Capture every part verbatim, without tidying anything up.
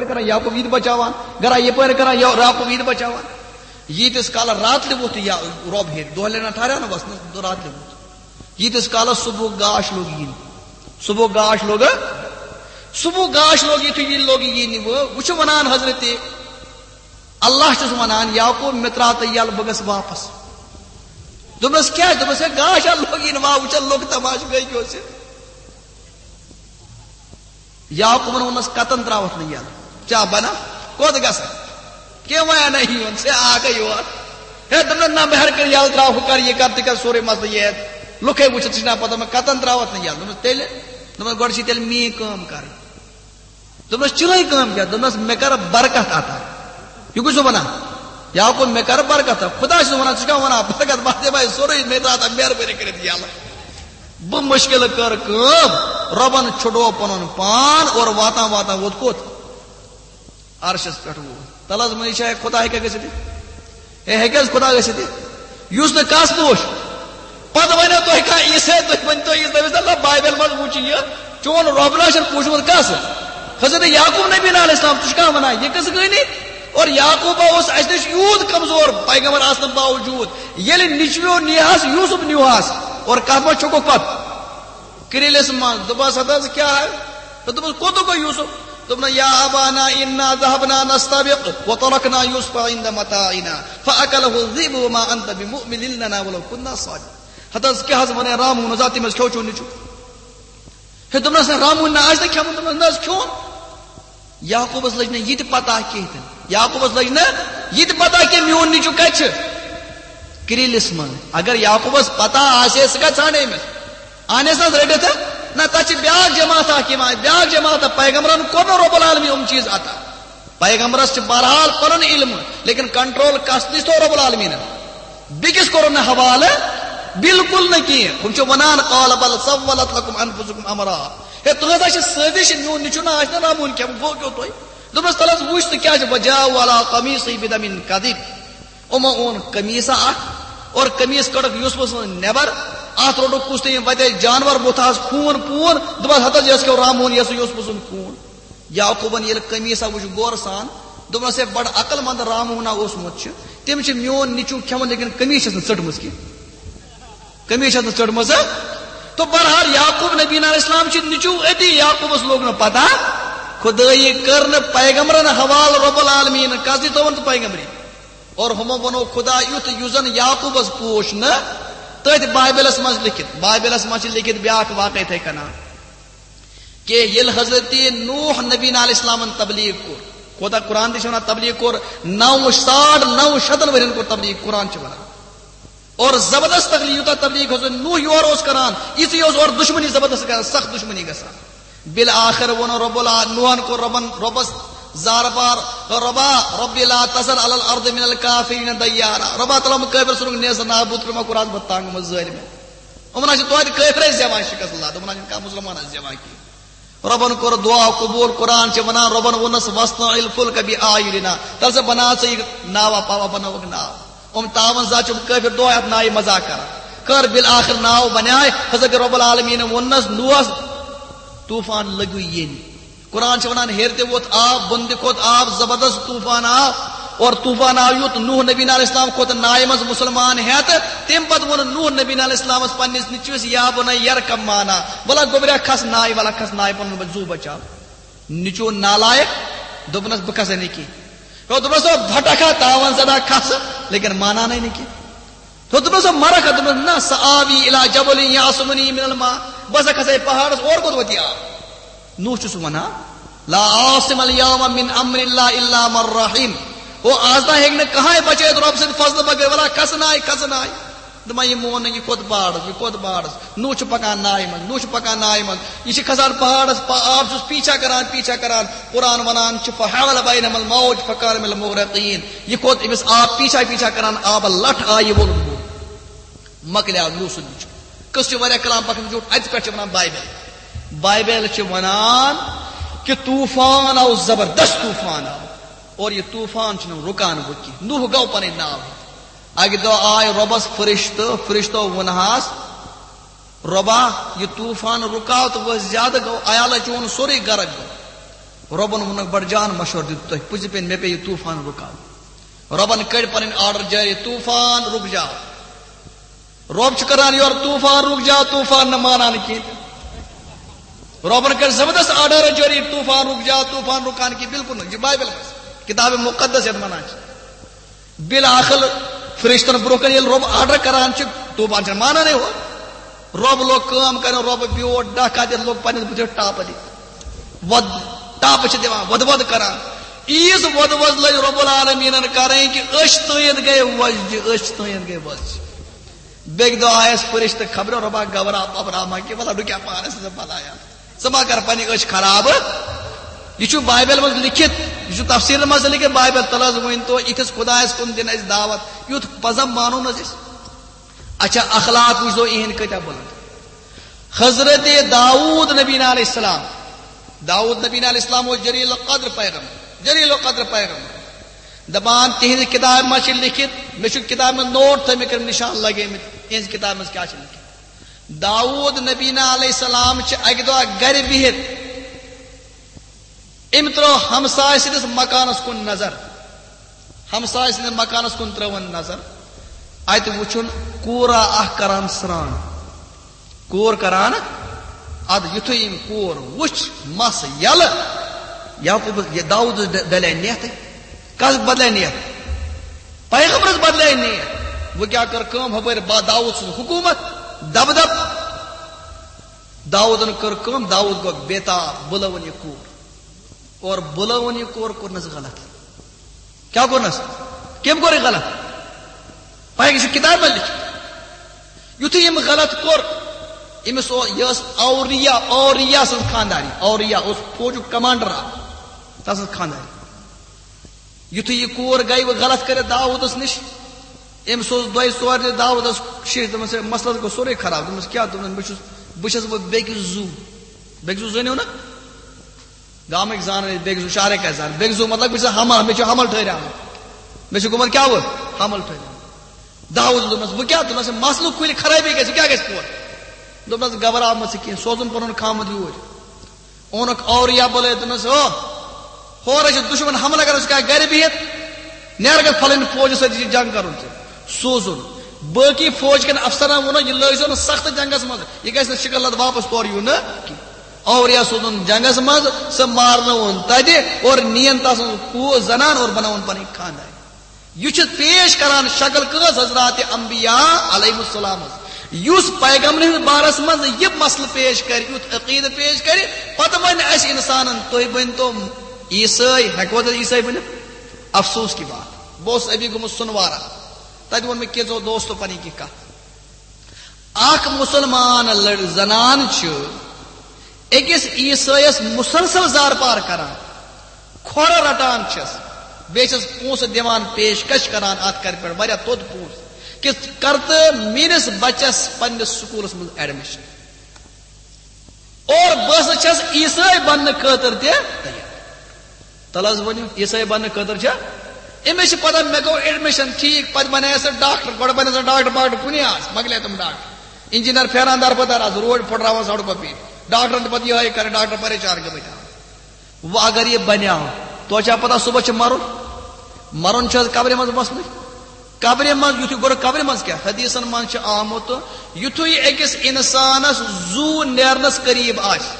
کران، یعقوب یہِ تہِ بچاوان، گرا یپٲرۍ کران، یا-، یعقوب یہِ تہِ بچاوان۔ ییٖتِس کالس راتلہِ ووٚتھ یا-، رۄب ہیٚرِ، دۄہلہِ نہ ٹھہریا نہ وسنس، راتلہِ ووٚتھ۔ ییٖتِس کالس صبحُک گاش لوٚگ یِنہِ، صبحُک گاش لوٚگ، صبحُک گاش لوٚگ، یُتھُے یہِ لوٚگ یِنہِ، وۄنۍ، وۄنۍ چھُ ونان حضرت اللہ چھُس ونان، یعقوب، مےٚ ترٛاو تہٕ یَلہٕ، بہٕ گژھٕ واپس۔ دوٚپنس، کیٛاہ؟ دوٚپنس، ہے، گاش ہا لوٚگ یِنہِ، وا وٕچھان لوٚگ تماشہٕ، گٔے کیٛاہ اوس یہِ؟ یعقوبن ووٚننس، کتن ترٛاوتھ نہٕ یَلہٕ؟ ژےٚ بنا کوٚت گژھکھ؟ کینٛہہ وَنیا نہ یِوان، ژےٚ آکھے یور۔ ہے، دوٚپنس، نہ، بہٕ ہٮ۪کہٕ کٔرِتھ یَلہٕ ترٛاوکھ، ہُہ کر، یہِ کر، تہِ کر، سورُے مسلہٕ یہِ ہٮ۪تھ۔ لُکھے وٕچھِتھ، ژٕ چھُکھ نا پتہ مےٚ کتن ترٛاوتھ نہٕ یَلہٕ؟ دوٚپنس، تیٚلہِ؟ دوٚپنس، گۄڈٕ چھِ تیٚلہِ میٛٲنۍ کٲم کرٕنۍ۔ دوٚپنس، چٲنۍ کٲم کیٛاہ؟ دوٚپنس، مےٚ کر برکت عطا۔ یہِ کُس چھُ ونان؟ یعقوب، مےٚ کر برکت عطا۔ خدا چھُس ونان، ژٕ چھُکھ ونان برکت؟ بہٕ دِمے سورُے، مےٚ ترٛاو تہٕ مہربٲنی کٔرِتھ یَلہٕ۔ بہٕ مُشکل کٔر کٲم، رۄبن چھُڑو پنُن پان اور واتان واتان ووت کوٚت؟ عرشس پٮ۪ٹھ ووت۔ تلس منٛز چھا خدا ہیٚکیٛاہ گٔژھِتھ؟ ہے، ہیٚکہِ حظ خدا گٔژھِتھ؟ یُس نہٕ کس پوش۔ پتہٕ ونیو تۄہہِ کانٛہہ عیسائی، تُہۍ ؤنۍ تو یہِ، دٔپِس، اللہ، بایبل منٛز وُچھ یہِ، چون رۄب نہ چھُنہٕ پوٗجمُت کس؟ حضرت یعقوب نبی علیہ السلام، ژٕ چھُکھا ونان یہِ کِژھ کہانی؟ اور یعقوبہ اوس اسہِ نِش یوٗت کمزور، پیغمبر آسنہٕ باوجوٗد، ییٚلہِ نیٚچویو نیہس، یوسف نیوہس، اور کتھ منٛز چھُکھ پتہٕ؟ کرٛیٖلِس منٛز۔ دوٚپمَس، ہتہٕ حظ کیٛاہ ہے؟ تہٕ دوٚپمَس، کوٚت گوٚو یوسف؟ دوٚپُن، یا ابانا انا ذهبنا نستبق وتركنا يوسف عند متاعنا فاكله الذئب وما انت بمؤمن لنا ولو كنا صادقين۔ ہتہٕ حظ کیٛاہ حظ وَنے راموٗنَس، آ، تٔمۍ حظ کھیوٚو چون نیٚچوٗ۔ ہے، دوٚپنَس، نہ، راموٗن نہ آسہِ نہ کھیوٚمُت۔ دوٚپنَس، نہ حظ کھیوٚن۔ یعقوبس لٔج نہٕ یہِ تہِ پتہ کینٛہہ تہِ۔ یعقوبس لٔج نہٕ یہِ تہِ پتہ کینٛہہ، میون نیٚچوٗ کتہِ چھُ؟ کرٛیٖلِس منٛز۔ اگر یعقوبس پتہ آسہِ ہے، سُہ کتہِ ژھانڈِ أمِس؟ اہنس نہ رٔٹِتھ۔ نہ، تتھ چھِ بیاکھ جماعت اکھ یِوان، بیاکھ جماعت، پیغمبرن کوٚر نہٕ رب العالمین یِم چیٖز عطا۔ پیغمبرس چھِ بہرحال پنُن علم، لیکن کنٹرول کس نِش تھوٚو رب العالمینن؟ بیٚکِس کوٚرُن نہٕ حوالہٕ، بالکل نہٕ کینٛہہ۔ ہُم چھِ ونان، قال بل سولت لكم انفسكم امرا۔ ہے، تُہنٛز ہا چھِ سٲزِش، میون نیٚچوٗ نہ آسہِ نہٕ رامون کھٮ۪مُت، گوٚو کیٛاہ تۄہہِ؟ دوٚپمَس، تَلہٕ حظ وٕچھ تہٕ کیٛاہ چھِ، وجاء على قميصه بدم كذب۔ یِمو اوٚن قمیٖصہ اکھ اور قمیٖص کٔڑٕکھ یوسفہٕ سٕنٛز نٮ۪بر، اتھ روٚٹُکھ کُس تام وتہِ جانور بُتھ آس خوٗن پوٗن، دوٚپمَس، ہتہٕ حظ یَس کھیوٚو رامون یَسہٕ یوسفہٕ سُنٛد خوٗن۔ یعقوبن ییٚلہِ قمیٖصہ وٕچھ غورٕ سان، دوٚپنَس، ہے، بڑٕ عقل مند رامونا اوسمُت چھُ، تٔمۍ چھِ میون نیٚچوٗ کھٮ۪وان، لیکن قمیٖص چھَس نہٕ ژٔٹمٕژ کینٛہہ۔ قمیٖص چھَس نہٕ ژٔٹمٕژ۔ تو بہرحال یعقوب نبی علیہ السلام چھِ نیٚچوٗ أتی، یعقوبس لوٚگ نہٕ پتہ، خدٲیی کٔر نہٕ پیغمبرن حوالہٕ رب العالمین، کس دِتون تہٕ پیغمبری۔ اور ہُمو ووٚنو خدا یُتھ، یُس زن یعقوبس پوش نہٕ تٔتھۍ بایبلس منٛز لیکھِتھ۔ بایبلس منٛز چھِ لیکھِتھ بیاکھ واقعہ یِتھَے کٔنۍ۔ کہ ییٚلہِ حضرت نوح نبی علیہ السلامن تبلیغ کوٚر، کوتاہ قرآن تہِ چھِ ونان تبلیغ کوٚر، نو، ساڑ نو شتن ؤرین کوٚر تبلیغ، قرآن چھِ ونان۔ اور زبردست تبلیغ، یوٗتاہ تبلیغ حضرت نوح یور اوس کران، یِژٕے اوس اورٕ دُشمنی زبردست گژھان، سخت دُشمنی گژھان۔ بالآخر ووٚن رب الع-، نوحن کوٚر ربن، ربس زارٕ پار، ربا، رب لا تذر علی الارض من الکافرین دیارا۔ ربا تعالیٰ ہن کٲفر سُنٛد نیز نابود کوٚرمُت، کوٚرہَس بہٕ تنگ، یِمن ظٲلمن۔ یِمن ہا چھِ توتہِ کٲفرے زیوان شکست اللہ، یِمن ہا چھِنہٕ کانٛہہ مُسلمان زیوان کینٛہہ۔ ربن کوٚر دعا قبول، قرآن چھِ ونان، ربن ووٚننس، "واصنع الفلک بأعیننا"، تَلہٕ سا بناو ژٕ یہِ ناوا پاوا، بنٲوٕکھ ناو۔ یِم تاون زا چھِ کٲفر دۄہے اتھ نایہِ مذاق کران۔ کٔر بالآخر ناو بنیاے، حضرت رب العالمین ووٚننس نوحس، طوفان لٔگِو یِنۍ۔ قرآن چھِ ونان، ہیٚرِ تہِ ووٚتھ آب، بۄنہٕ تہِ کھوٚت آب، زبردست طوفان آو۔ اور طوفان آو یُتھ، نوح نبی علیہ السلام کھوٚت نایہِ منٛز مُسلمان ہٮ۪تھ۔ تَمہِ پتہٕ ووٚن نوح نبی علیہ السلامس پننِس نیٚچوِس، "یا بنی ارکب معنا"، ولا گوٚبریا کھس نایہِ، ولا کھس نایہِ، پنُن زُو بچاو۔ نیٚچو نالایق، دوٚپنس، "بہٕ کھسے نہٕ کینٛہہ۔" ہو، دوٚپنس، "او بھٹکھ ہا، تاوان زدہ، کھس"، لیکن مانان ہے نہٕ کینٛہہ۔ تو دوٚپنس، "او مرکھ ہا"، دوٚپنس، "نہ، سآوی الی جبل یعصمنی من الماء"، بہٕ ہسا کھسے پہاڑس، اور کوٚت وٲتی آب؟ نوح چھُس ونان، "لا عاصم الیوم من امر اللہ الا من رحم"، او آز تام ہیٚکہِ نہٕ کٕہٕنۍ بچٲیِتھ رۄب سٕنٛدِ فضلہٕ بغٲر، ولا کھس نایہِ، کھس نایہِ۔ دپان، یہِ مون نہٕ، یہِ کھوٚت پہاڑس، یہِ کھوٚت پہاڑس۔ نوح چھُ پکان نایہِ منٛز، نوح چھُ پکان نایہِ منٛز۔ یہِ چھِ کھسان پہاڑس، پا-، آب چھُس پیچھا کران، پیچھا کران۔ قرآن ونان چھُ، "فحال بینہما الموج فکان من المغرقین"۔ یہِ کھوٚت أمِس آب پیچھا پیچھا کران، آبہٕ لٹھ آیہِ، یہِ ووٚلُن بۄن۔ مۄکلیو نوح سُنٛد نیٚچو۔ قصہٕ چھُ واریاہ کلام پکان زیوٗٹھ، اَتہِ پٮ۪ٹھ چھِ ونان بایبل۔ بایبل چھِ ونان کہ طوفان آو، زبردست طوفان آو۔ اور یہِ طوفان چھُنہٕ رُکان وۄنۍ کینٛہہ۔ نوح گوٚو پنٕنۍ ناو ہٮ۪تھ۔ اکہِ دۄہ آے رۄبس فرشتہٕ، فرشتو ووٚنہَس، "رۄبا، یہِ طوفان رُکاو تہٕ وۄنۍ زیادٕ گوٚو، عیالہ چون سورُے غرق گوٚو۔" رۄبن ووٚنُکھ، بڑٕ جان مشورٕ دیُت تۄہہِ، پٔزِ پٮ۪ن مےٚ پیٚیہِ طوفان رُکاوُن۔ رۄبن کٔڑۍ پنٕنۍ آرڈر جٲری، طوفان رُک جاو۔ رۄب چھُ کران یورٕ، طوفان رُک جاو، طوفان نہٕ مانان کینٛہہ۔ رۄبن کٔر زبردست آرڈر جٲری، طوفان رُک جاو، طوفان رُکان کینٛہہ، بالکل نہٕ۔ یہِ چھُ بایبل منٛز، کتاب مقدس یتھ ونان چھِ۔ بالآخر فرشتن برونٛہہ کنہِ ییٚلہِ رۄب آرڈر کران چھُ، طوفان چھُنہٕ مانانٕے ہو۔ رۄب لوگ کٲم کرُن، رۄب بیوٗٹھ ڈکھ دِتھ لوگ پننِس بٕتھِس ٹاپہٕ دِتھ۔ وۄد، ٹاپہٕ چھِ دِوان، وۄدٕ وۄدٕ کران۔ عیٖز وۄدٕ وۄدٕ لٔج رۄب العالمیٖنن کرٕنۍ کہِ أچھ تٔہنٛد گٔے وۄزجہِ، أچھ تٔہنٛد گٔے وۄزجہِ۔ بیٚکہِ دۄہ آیس فرشتہٕ خبرٕ، رۄبا گبرا پبرا ما کہِ وَلہ ڈُکیا پانس ژٕ بلایا۔ ژٕ ما کر پننہِ أچھ خراب۔ یہِ چھُ بایبل منٛز لیکھِتھ، یہِ چھُ تفسیٖرن منٛز لیکھِتھ بایبل۔ تَلہٕ حظ ؤنۍ تو، یِتھِس خۄدایس کُن دِن اَسہِ دعوت، یُتھ پزم مانو نہٕ حظ أسۍ۔ اچھا، اخلاق وٕچھ تو یِہِنٛدۍ کۭتیٛاہ بُلند۔ حضرت داوود نبی علیہ السلام، داوود نبی علیہ السلام اوس جلیل القدر پیغمبر، جلیل القدر پیغمبر۔ دپان تِہنٛزِ کتابہِ منٛز چھِ لیکھِتھ، مےٚ چھُ کتابہِ منٛز نوٹ تھٲومٕتۍ، کٔرمٕتۍ نشان لگٲومٕتۍ، تِہنٛزِ کتابہِ منٛز کیٛاہ چھِ لیکھِتھ۔ داوود نبی علیہ السلام چھِ اکہِ دۄہ گرِ بِہِتھ، أمۍ ترٲو ہمسایہِ سٕنٛدِس مکانس کُن نظر، ہمسایہِ سٕنٛدِس مکانس کُن ترٲوٕن نظر، اتہِ وُچھُن کوٗرا اکھ کران سرٛان۔ کوٗر کران، ادٕ یُتھُے أمۍ کوٗر وُچھ، مس یلہٕ، یعقوب، یہِ داوود ڈ-، ڈلے نیتھٕے۔ کس بدلے نیت؟ پیغمبرس بدلے نیت۔ وۄنۍ کیٛاہ کٔر کٲم؟ ہپٲرۍ با داوود سٕنٛز حکوٗمت، دبدب۔ داوودن کٔر کٲم، داوود گوٚو بے تاب، بُلٲوٕن یہِ کوٗر۔ اور بُلٲوٕن یہِ کوٗر، کوٚرنس غلط۔ کیٛاہ کوٚرنس؟ کٔمۍ کوٚر یہِ غلط؟ پَے، یہِ چھُ کِتابہِ منٛز لیٚکھِتھ۔ یُتھُے أمۍ غلط کوٚر، أمِس او-، یہِ ٲس اوریا، اوریا سٕنٛز خانٛدارِنۍ۔ اوریا اوس فوجُک کمانڈر اکھ، تَس ٲس خانٛدارِنۍ۔ یُتھُے یہِ کوٗر گٔے وۄنۍ غلط کٔرِتھ داوودس نِش، أمۍ سوز دۄیہِ ژورِ دۄہہِ داوودس شیٖش، دوٚپمس، "ہے، مسلس گوٚو سورُے خراب۔" دوٚپمس، "کیٛاہ؟" دوٚپمس، "بہٕ چھُس، بہٕ چھَس وۄنۍ بیٚکِس زُو۔" بیٚکہِ زُو زٲنِو نا؟ گامٕکۍ زانان، بیٚکہِ زُو شہرٕکۍ کیٛاہ زانان؟ بیٚکہِ زُو مطلب، بہٕ چھُس حمل، مےٚ چھُ حمل ٹھٔہریومُت۔ مےٚ چھُ گوٚمُت کیٛاہ وُ؟ حمل ٹھٔہریومُت۔ داوود دوٚپمس، "بہٕ کیٛاہ؟" دوٚپمس، "مسلہٕ کُلۍ خرٲبی گژھِ، کیٛاہ گژھِ پوٗرٕ؟" دوٚپمس، "گبراو مہ ژٕ کینٛہہ، سوزُن پنُن خامد یوٗرۍ۔" اوٚنُکھ اوریا بُلٲوِتھ، دوٚپنس، "ہو، ہورے چھُ دُشمن حملہٕ کران، ژٕ کیٛاہ گرِ بِہِتھ؟ نیر گژھ، فلٲنۍ فوجس سۭتۍ چھُ جنگ کرُن ژےٚ۔" سوزُن۔ باقی فوج کٮ۪ن افسرن ووٚنُکھ، "یہِ لٲگۍ زیو نہٕ سخت جنگس منٛز، یہِ گژھِ نہٕ شکل لد واپس تورٕ یُن نہٕ کینٛہہ۔" اوریا سوزُن جنگس منٛز، سُہ مارنووُن تتہِ اور نِین تسٕنز کو-، زنان اور بنٲوٕن پنٕنۍ خاندان۔ یہِ چھُ پیش کران شکل کٲنٛسہِ؟ حضرات انبیاء علیہ السلام ہٕنٛز۔ یُس پیغمبر ہٕنٛدِس بارس منٛز یہِ مسلہٕ پیش کرِ، یُتھ عقیدٕ پیش کرِ، پتہٕ ونہِ اسہِ انسانن، "تُہۍ بٔنۍ تو عیسٲے"، ہیٚکوا تُہۍ عیسٲے بٔنِتھ؟ افسوس کی بات۔ بہٕ اوسُس ابھی گوٚمُت سُنوارا، تتہِ ووٚن مےٚ کینٛژو دوستو پنٕنۍ کینٛہہ کتھ۔ اکھ مسلمان لڑ-، زنان چھِ أکِس عیسٲیَس مسلسل زارپار کران، کھۄرٕ رٹان چھَس، بیٚیہِ چھَس پونٛسہٕ دِوان، پیشکش کران، اَتھ کَرِ پٮ۪ٹھ واریاہ توٚت پونٛسہٕ، کہِ کر تہٕ میٲنِس بچس پننِس سکوٗلس منٛز ایڈمِشن۔ اور بہٕ ہسا چھَس عیسٲے بننہٕ خٲطرٕ تہِ تیار۔ تَلہٕ حظ ؤنِو، عیسٲے بننہٕ خٲطرٕ چھا؟ أمِس چھِ پتہ، مےٚ گوٚو ایڈمِشن، ٹھیٖک، پتہٕ بنیٛاس سُہ ڈاکٹر، گۄڈٕ بنیٛاس نہٕ ڈاکٹر، ڈاکٹر کُنی آز، مۄکلے تِم ڈاکٹر۔ انجینئر پھیران دربدر آز، روڈ پھٕٹراوان سڑکو پیٚٹھۍ۔ ڈاکٹرن تہِ پتہٕ یِہوٚے کران، ڈاکٹر پریشان گٔمٕتۍ آز۔ وۄنۍ اگر یہِ بنیٛاو، توتہِ چھا پتہ صبحس چھُ مرُن؟ مرُن چھُ حظ قبرِ منٛز وسنٕے؟ قبرِ منٛز، یُتھُے گۄڈٕ قبرِ منٛز کیٛاہ؟ حدیثن منٛز چھُ آمُت، یُتھُے أکِس انسانس زُو نیرنس قریب آسہِ،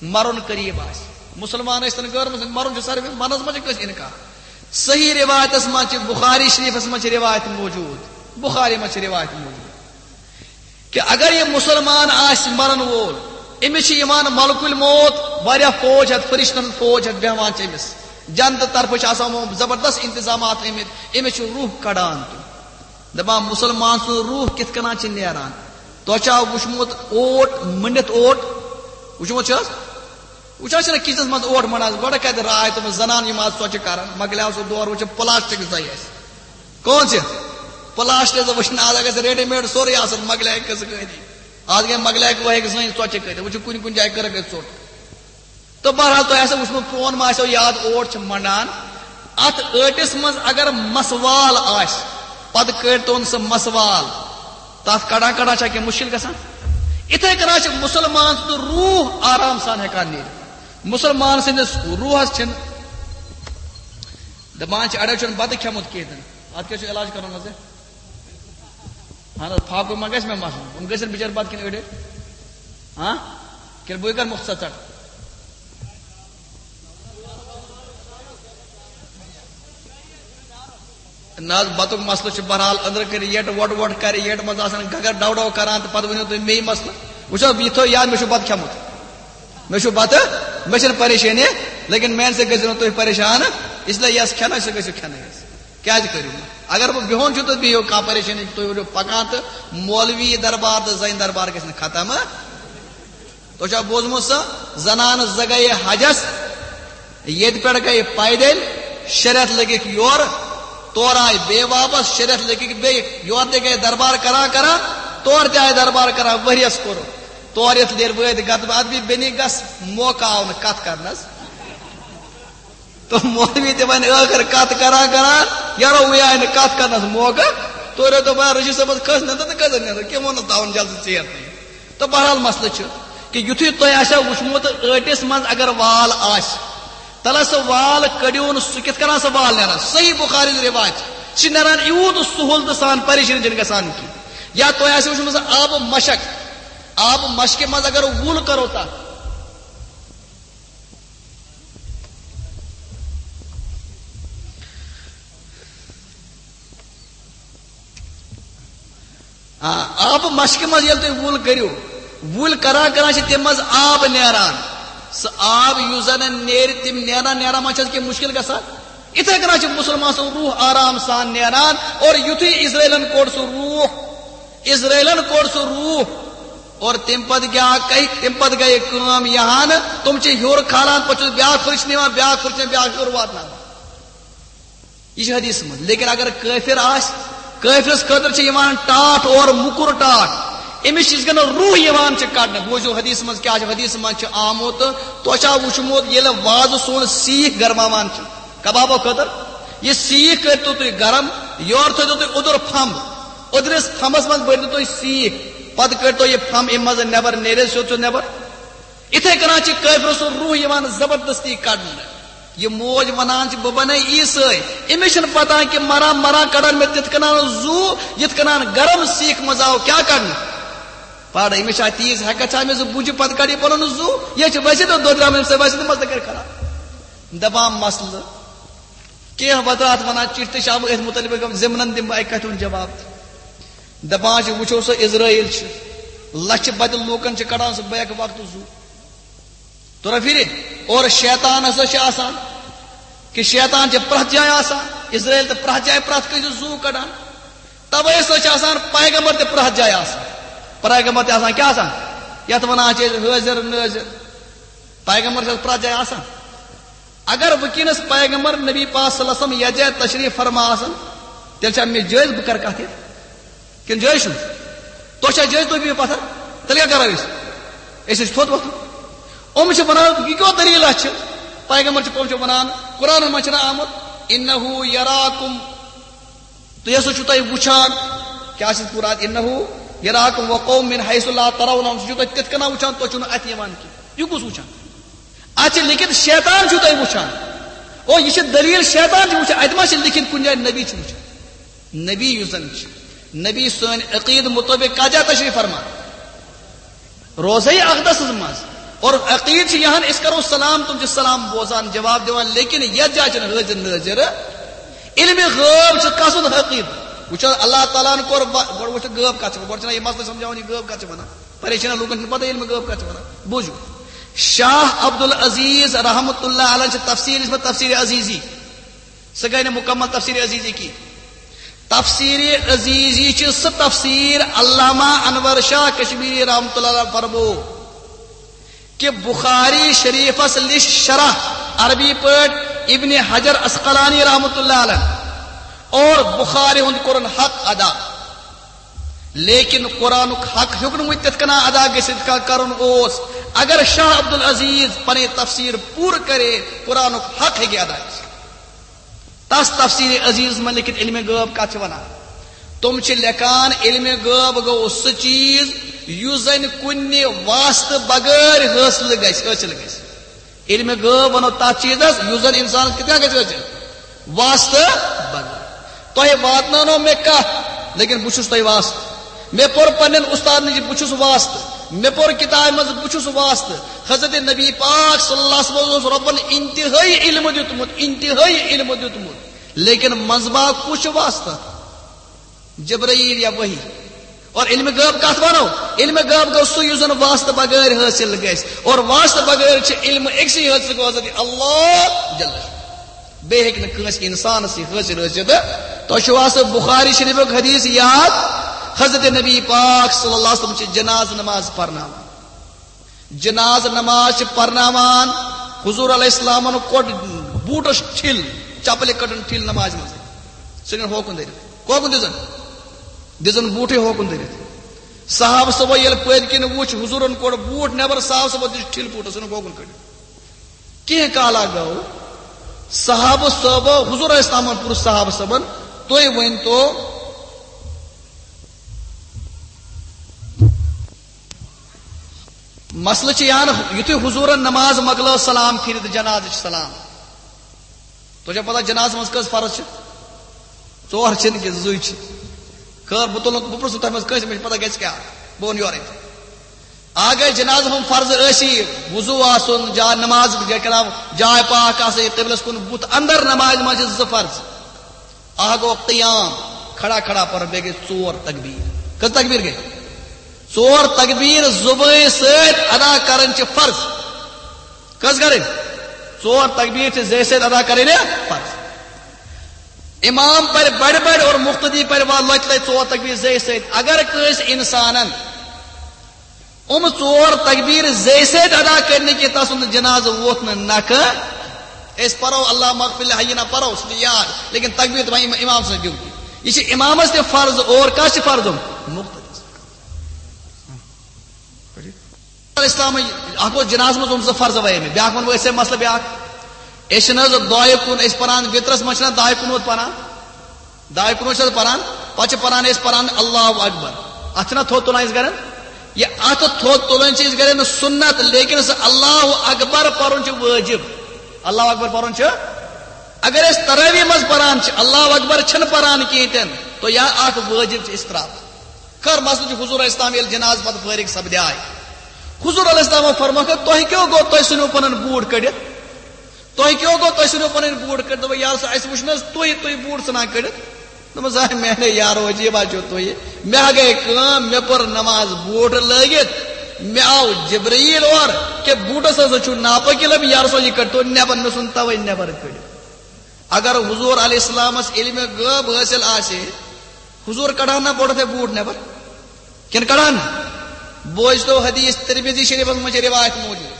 مرُن قریب آسہِ۔ مسلمان ٲسۍ تن غٲر مسلم، مرُن چھُ ساروی، مرنس منٛز چھُ کٲنٛسہِ انکار۔ صحیح روایتس منٛز چھِ، بخاری شریفس منٛز چھِ روایت موجود، بخاری منٛز چھِ روایت موجود کہِ اگر یہِ مسلمان آسہِ مرن وول، أمِس چھِ یِوان ملک الموت، واریاہ فوج ہٮ۪تھ، فرشتن فوج ہٮ۪تھ بیہوان چھِ أمِس۔ جنتہٕ طرفہٕ چھِ آسان یِمو زبردست انتظامات آمٕتۍ، أمِس چھُ روح کڑان تہِ۔ دپان، مسلمان سُنٛد روح کِتھ کٔنۍ چھِ نیران؟ تۄہہِ چھا وُچھمُت اوٹ مٔنڈِتھ اوٹ؟ وُچھمُت چھِ حظ؟ وُچھان چھِنہ کِچنَس منٛز اوٹ مٔنٛڈان، گۄڈٕ کَتہِ راے تِم زَنان یِم آز ژۄچہِ کَران، مۄکلیو سُہ دور، وۄنۍ چھِ پلاسٹک زَے اَسہِ۔ کون چھِ؟ پلاسٹک زَے وٕچھِنہٕ آز، اگر ریڈی میڈ سورُے آسان، مۄکلیو قٕصہٕ کٲری۔ آز گٔے مۄکلیو وۄنۍ ہیٚکہِ زٔنۍ ژۄچہِ کٔرِتھ، وۄنۍ چھِ کُنہِ کُنہِ جایہِ کٔرٕکھ أسۍ ژوٚٹ۔ تہٕ بہرحال تۄہہِ آسیو وٕچھمُت، پرون ما آسیو یاد، اوٹ چھِ مَنڈان۔ اَتھ ٲٹِس منٛز اگر مسوال آسہِ، پَتہٕ کٔڑۍ تون سُہ مسوال، تَتھ کَڑان کَڑان چھا کینٛہہ مُشکِل گژھان؟ یِتھَے کٔنۍ چھِ مُسلمان سُنٛد روح آرام سان ہٮ۪کان نیٖرِتھ۔ مسلمان سٕنٛدِس روحس چھِنہٕ دپان چھِ، اَڑیو چھُنہٕ بَتہٕ کھٮ۪مُت کِہیٖنۍ تہِ نہٕ۔ اَتھ کیٛاہ چھُ علاج کَرُن حظ؟ اَہَن حظ، فاقہٕ ما گژھِ مےٚ مَسلہٕ؟ یِم گٔژھن بِچٲرۍ بَتہٕ کھٮ۪ن أڑۍ؟ ہاں؟ کِنہٕ بہٕ کَرٕ مُختصر ژَٹ؟ نہ حظ، بَتُک مسلہٕ چھُ بہرحال أنٛدرٕ کٔرِتھ یٔٹ وۄٹ وۄٹ کَرِ، یٔٹ منٛز آسان گگر ڈَو ڈَو کَران، تہٕ پَتہٕ ؤنِو تُہۍ مے مسلہٕ۔ وٕچھو، یہِ تھٲیِو یاد، مےٚ چھُ بَتہٕ کھیوٚمُت، مےٚ چھُ بَتہٕ، مےٚ چھَنہٕ پریشٲنی، لیکن میٛانہِ سۭتۍ گٔژھِو نہٕ تُہۍ پریشان، اس لیے یَس کھٮ۪نَے سُہ گٔژھِو کھٮ۪نَے حظ۔ کیٛازِ کٔرِو نہٕ؟ اگر بہٕ بِہُن چھُس تہٕ بِہِو، کانٛہہ پریشٲنی چھِ، تُہۍ ؤنِو پَکان تہٕ مولوی دربار تہٕ زَنہِ دربار گژھِ نہٕ ختم۔ تۄہہِ چھا بوٗزمُت سۄ؟ زنانہٕ زٕ گٔیہِ حجس، ییٚتہِ پٮ۪ٹھ گٔیہِ پیدٔلۍ، شےٚ رٮ۪تھ لٔگِکھ یورٕ، تورٕ آیہِ بیٚیہِ واپس، شےٚ رٮ۪تھ لٔگِکھ بیٚیہِ، یورٕ تہِ گٔیہِ دربار کران کران، تورٕ تہِ آیہِ دربار کران، ؤریَس کوٚر۔ تورٕ یِتھ لیر وٲتۍ گتہٕ ادبی بیٚنہِ گس، موقع آو نہٕ کتھ کرنس۔ تہٕ مولوی تہِ وۄنۍ ٲخر کتھ کران کران، یارو وۄنۍ آیہِ نہٕ کتھ کرنس موقع۔ تورٕ دوٚپ، "آ، رشید صٲبس کھٔژ نٮ۪نٛدٕر تہٕ کھٔژٕن نٮ۪نٛدٕر، کیٛاہ ووٚنُتھ تاوُن جلدی ژیر تہِ؟" تہٕ بہرحال مسلہٕ چھُ کہِ یُتھُے تۄہہِ آسیو وٕچھمُت ٲٹِس منٛز اگر وال آسہِ، تَلہ سُہ وال کٔڑِو نہٕ، سُہ کِتھ کٔنۍ سُہ وال نیران؟ صحیح بخاری ہُنٛد رِوایت چھِ، سُہ چھِ نیران یوٗت سہوٗلتہٕ سان، پریشٲنی چھِنہٕ گژھان کِہیٖنۍ۔ یا تۄہہِ آسیو وٕچھمُت آب مشک، آب مشکہِ منٛز اگر وُل کَرو تَتھ، آ، آبہٕ مشکہِ منٛز ییٚلہِ تُہۍ وُل کٔرِو، وُل کران کران چھِ تَمہِ منٛز آب نیران۔ سُہ آب یُس زَن نیرِ، تِم نیران نیران ما چھِ اَتھ کینٛہہ مُشکِل گژھان؟ یِتھَے کٔنۍ چھِ مُسلمان سُنٛد روح آرام سان نیران۔ اور یُتھُے اسرائیلن کوٚڑ سُہ روح، اسرائیلن کوٚڑ سُہ روح، اور تَمہِ پتہٕ کیٛاہ گٔے؟ تَمہِ پتہٕ گٔے کٲم یِہان، تِم چھِ ہیوٚر کھالان، پتہٕ چھُ بیٛاکھ فرشتہٕ نِوان، بیٛاکھ فرشتہٕ نِوان، بیٛاکھ ہیوٚر واتناوان۔ یہِ چھِ حدیث منٛز۔ لیکن اگر کٲفِر آسہِ، کٲفرس خٲطرٕ چھِ یِوان ٹاٹھ اور موٚکُر ٹاٹھ۔ أمِس چھِ یِتھ کٔنۍ روح یِوان چھِ کڑنہٕ۔ بوٗزِو حدیث منٛز کیٛاہ چھِ۔ حدیث منٛز چھِ آمُت، تۄہہِ چھا وٕچھمُت ییٚلہِ وازٕ سون سیٖکھ گرماوان چھِ کبابو خٲطرٕ؟ یہِ سیٖکھ کٔرۍتو تُہۍ گرم، یورٕ تھٲیِتو تُہۍ اوٚدُر پھمب، اوٚدرِس پھمبس منٛز بٔرۍتو تُہۍ سیٖکھ، پتہٕ کٔڑۍتو یہِ پھمب اَمہِ منٛز نٮ۪بر، نیرِ سیوٚد سیوٚد نٮ۪بر۔ یِتھَے کٔنۍ چھِ کٲفرٕ سُنٛد روح یِوان زبردستی کڑنہٕ۔ یہِ موج ونان چھِ، "بہٕ بنے عیسٲے۔" أمِس چھِنہٕ پتہ کہِ مران مران کڑن مےٚ تِتھ کٔنۍ زُو، یِتھ کٔنۍ گرم سیٖکھ منٛز آو کیٛاہ کڑنہٕ۔ پاڑٕ أمِس چھا تیٖژ ہٮ۪کتھ چھا أمِس زٕ بُجہِ پتہٕ کڑِ یہِ پنُن زُو؟ یہِ چھِ ویسے تہٕ دۄدریٛامہٕ أمِس سۭتۍ، ویسے تہٕ مَس تہٕ کَرِ خراب۔ دپان مسلہٕ کینٛہہ وترات ونان، چِٹھۍ تہِ چھِ آمٕتۍ أتھۍ مُتعلق، ضمنن دِمہٕ بہٕ اَکہِ کتھِ ہُنٛد جواب تہِ۔ دپان چھِ، وٕچھو سا، اسرائیل چھِ لچھِ بدِ لوٗکن چھِ کڑان سُہ بیک وقتہٕ زُو۔ تورا پھرِ۔ اور شیطان ہسا چھِ آسان، کہِ شیطان چھِ پرٛٮ۪تھ جایہِ آسان۔ اسرائیل تہٕ پرٛٮ۪تھ جایہِ پرٛٮ۪تھ کٲنٛسہِ زُو کڑان۔ توے ہسا چھِ آسان پیغمبر تہِ پرٛٮ۪تھ جایہِ آسان۔ پیغمبر تہِ آسان، کیٛاہ آسان؟ یتھ ونان چھِ أسۍ حٲضِر نٲضِر۔ پیغمبر چھِ پرٛٮ۪تھ جایہِ آسان۔ اگر وٕنکیٚنس پیغمبر نبی پاک صلی اللہ علیہ وسلم یتھ جایہِ تشریف فرما آسن، تیٚلہِ چھا مےٚ جٲیز بہٕ کرٕ کتھ ییٚتہِ؟ کِنہٕ جٲیز چھُنہٕ؟ تۄہہِ چھا جٲیز تُہۍ بِہِو پتھر؟ تیٚلہِ کیٛاہ کرو أسۍ؟ أسۍ حظ چھِ تھوٚد وۄتھُن۔ یِم چھِ ونان، یہِ کیٛاہ دٔلیٖلہ چھِ؟ پیغمبر چھِ، یِم چھِ ونان، قرآنن منٛز چھُنہ آمُت، "انہ یراکم"، تُہۍ ہسا چھِو تۄہہِ وٕچھان، کیٛاہ چھِ قرآن، "انہ یراکم وقوم من حیث لا ترونہم"، سُہ چھُو تۄہہِ تِتھ کٔنۍ وٕچھان، تُہۍ چھِو نہٕ اَتھِ یِوان کینٛہہ۔ یہِ کُس وٕچھان؟ اَتھ چھِ لیکھِتھ شیطان چھُو تۄہہِ وٕچھان۔ او، یہِ چھِ دٔلیٖل، شیطان چھُ وٕچھان۔ اَتہِ ما چھِ لیکھِتھ کُنہِ جایہِ نبی چھِ وٕچھان؟ نبی یُس زَن چھِ، نبی سٲنۍ عقیٖد مُطٲبِق کَتھ جایہِ تشریٖف فرما؟ روضہ اقدسس منٛز۔ اور عقیٖد چھِ یِہَن، أسۍ کَرو سلام، تِم چھِ سلام بوزان، جواب دِوان، لیکن یَتھ جایہِ چھِنہٕ حٲضِر نٲضِر۔ علمِ غٲب چھُ کَس سُنٛد عقیٖد؟ وٕچھو، اللہ تعالیٰ ہَن کوٚر وا-، گۄڈٕ وٕچھو غٲب کَتھ چھِ، گۄڈٕ چھِنہ یہِ مسلہٕ سَمجھاوان، یہِ غٲب کَتھ چھِ وَنان؟ پریشان لوٗکن چھُنہٕ پتہ علمِ غٲب کتھ چھِ ونان۔ بوٗزِو، شاہ عبدالعزیز رحمت اللہ علیہ چھِ تفسیر لیٖچھمٕژ، تفسیر عزیزی۔ سۄ گٔے نہٕ مکمل تفسیر عزیزی کینٛہہ۔ تفسیر عزیزی چھِ سۄ تفسیر علامہ انور شاہ کشمیری رحمت اللہ علیہ فرمو کہ بخاری شریفس لیچھ شرح عربی پٲٹھۍ ابن حجر عسقلانی رحمت اللہ علیہ اور بخاری ہُنٛد کوٚرُن حق ادا۔ لیکن قرآنُک حق ہیوٚک نہٕ وۄنۍ تِتھ کٔنۍ ادا گٔژھِتھ، یِتھ کٔنۍ کرُن اوس۔ اگر شاہ عبدالعزیز پنٕنۍ تفسیر پوٗرٕ کرے، قرآنُک حق ہیٚکہِ ادا گٔژھِتھ۔ تس تفسیر عزیز منٛز لیکھِتھ علمِ غٲب کتھ چھِ ونان؟ تِم چھِ لیکھان، علمِ غٲب گوٚو سُہ چیز یُس زن کُنہِ واسطہٕ بغٲر حٲصِل گژھِ، حٲصِل گژھِ۔ علم غٲب ونو تتھ چیزس یُس زن انسانس کِتھ کٔنۍ گژھِ حٲصِل؟ واسطہٕ بغٲر۔ تۄہہِ واتناونو مےٚ کتھ، لیکن بہٕ چھُس تۄہہِ واسطہٕ۔ مےٚ پوٚر پننٮ۪ن استادن نِش، بہٕ چھُس واسطہٕ۔ مےٚ پوٚر کتابہِ منٛز، بہٕ چھُس واسطہٕ۔ حضرت نبی پاک صلی اللہ علیہ وسلم اوس رۄبن انتہٲئی علم دیُتمُت، انتہٲئی علم دیُتمُت، لیکن منٛزباگ کُس چھُ واسطہٕ؟ جبرائیل یا وحی۔ اور علم غٲب کتھ ونو؟ علم غٲب گوٚو سُہ یُس زن واسطہٕ بغٲر حٲصِل گژھِ، اور واسطہٕ بغٲر چھِ علم أکسٕے حٲصِل گوٚو، حضرت اللہ جل شانہ۔ بیٚیہِ ہیٚکہِ نہٕ کٲنٛسہِ انسانس یہِ حٲصِل ٲسِتھ۔ تۄہہِ چھُوا سُہ بخاری شریفُک حدیث یاد؟ حضرت نبی پاک صلی اللہ علیہ وسلم چھِ جنازٕ نماز پرناوان۔ جنازٕ نماز چھِ پرناوان۔ حضور علیہ السلامن کوٚڑ بوٗٹس ٹھِل، چپلہِ کٔڈٕن ٹھِل نمازِ منٛز۔ سُہ نیوٗن ہوکُن دٔرِتھ۔ ہوکُن دِژٕن۔ دِژٕن بوٗٹھٕے ہوکُن دٔرِتھ۔ صحابہٕ صٲبو ییٚلہِ پٔتۍ کِنۍ وُچھ، حضوٗرن کوٚڑ بوٗٹھ نٮ۪بر، صحابہٕ صٲبو دِژ ٹھِل بوٗٹس، ژھٕنُکھ ہوکُن کٔڑِتھ۔ کینٛہہ کالا گوٚو، صحابہٕ صٲبو، حضور علیہ السلامن پرُژھ صحابہٕ صٲبن، "تُہۍ ؤنۍ تو، مسلہٕ چھُ یہِ ہن، یُتھُے حضوٗرن نماز مۄکلٲو، سلام پھِرِ تہٕ جنازٕ چھُ سلام۔ تۄہہِ چھا پتہ جنازٕ منٛز کٔژ فرض چھِ؟ ژور چھِنہٕ کینٛہہ، زٕے چھِ۔ خٲر، بہٕ تُلہٕ، بہٕ پرٛژھٕ تۄہہِ منٛز کٲنٛسہِ، مےٚ چھِ پتہ گژھِ کیٛاہ، بہٕ وَنہٕ یورَے۔ اگر جنازٕ ہُنٛد فرض ٲسی، وضوٗ آسُن، جا نماز، جا کلام، جاے پاک آسٕنۍ، قبلس کُن بُتھ، اندر نمازِ منٛز چھِ زٕ فرض۔ اکھ گوٚو قیام، کھڑا کھڑا پرُن، بیٚیہِ گٔے ژور تکبیر۔ کٔژ تکبیر گٔے؟ ژور تکبیر زُبٲنۍ سۭتۍ ادا کرٕنۍ چھِ فرض۔ کٔژ کرٕنۍ؟ ژور تکبیر چھِ زیٚوِ سۭتۍ ادا کرٕنۍ فرض۔ امام پرِ بڑِ بڑِ اور مقتدی پرِ وا لۄتہِ لۄتہِ ژور تکبیر زیٚوِ سۭتۍ۔ اگر کٲنٛسہِ انسانن یِم ژور تکبیر زیٚوِ سۭتۍ ادا کٔرۍ نہٕ کینٛہہ، تسُنٛد جنازٕ ووت نہٕ نکھٕ۔ أسۍ پرو اللہ مغفر لحینا پرو، سُہ چھُ یاد، لیکن تکبیر تہِ وۄنۍ امام سٕنٛز ڈیوٹی۔ یہِ چھِ امامس تہِ فرض، اور کس چھِ فرض؟ مقتدی۔ اسلام اکھ اوس جنازس منٛز یِم زٕ فرض وَے مےٚ، بیاکھ وَنہٕ بہٕ أسۍ مسلہٕ بیاکھ۔ أسۍ چھِنہٕ حظ دۄیہِ کُن، أسۍ پران وِترس منٛز چھِنہ دۄیہِ کُن ووت پران؟ دۄیہِ کُن ووت چھِ حظ پران؟ پتہٕ چھِ پران أسۍ پران اللہ اکبر۔ اتھ چھِنہ تھوٚد تُلان أسۍ گرن؟ یہِ اتھ تھوٚد تُلٕنۍ چھِ أسۍ گرن سُنت، لیکن سُہ اللہ اکبر پرُن چھُ وٲجب۔ اللہ اکبر پرُن چھُ، اگر أسۍ تراویح منٛز پران چھِ، اللہ اکبر چھِنہٕ پران کینٛہہ تہِ نہٕ، تو یا اکھ وٲجب چھِ أسۍ تراوان۔ خٲر، مسلہٕ چھُ حضور علیہ السلام ییٚلہِ جنازٕ پتہٕ فٲرغ سپدے۔ حضور علیہ السلام فرمووُکھ، "تۄہہِ کیٛاہ گوٚو، تُہۍ ژھٕنِو پنُن بوٗٹھ کٔڑِتھ؟ تۄہہِ کیٛاہ گوٚو، تُہۍ ژھٕنِو پنٕنۍ بوٗٹھ کٔڑِتھ؟" دوٚپُن، "یا رسول، اَسہِ وُچھ نہٕ حظ تُہۍ، تُہۍ بوٗٹھ ژھٕنان کٔڑِتھ؟" دوٚپمَس، "آ، میٛانیو یارو، عجیٖبا چھِو تُہۍ۔ مےٚ ہا گٔے کٲم، مےٚ پٔر نماز بوٗٹھ لٲگِتھ، مےٚ آو جبرائیل اورٕ کہِ بوٗٹَس ہسا چھُ ناپٲکی لٔبمٕژ، یا رسول، یہِ کٔڑۍتو نٮ۪بر، مےٚ ژھُن تَوَے نٮ۪بر کٔڑِتھ۔" اگر حضور علیہ السلامس علم غٲب حٲصِل آسہِ ہے، حضور کڑان نہ گۄڈٕ تھے بوٗٹھ نٮ۪بر؟ کِنہٕ کڑان نہٕ؟ بوزتو حدیث، ترمذی شریفس منٛز چھِ روایت موجود۔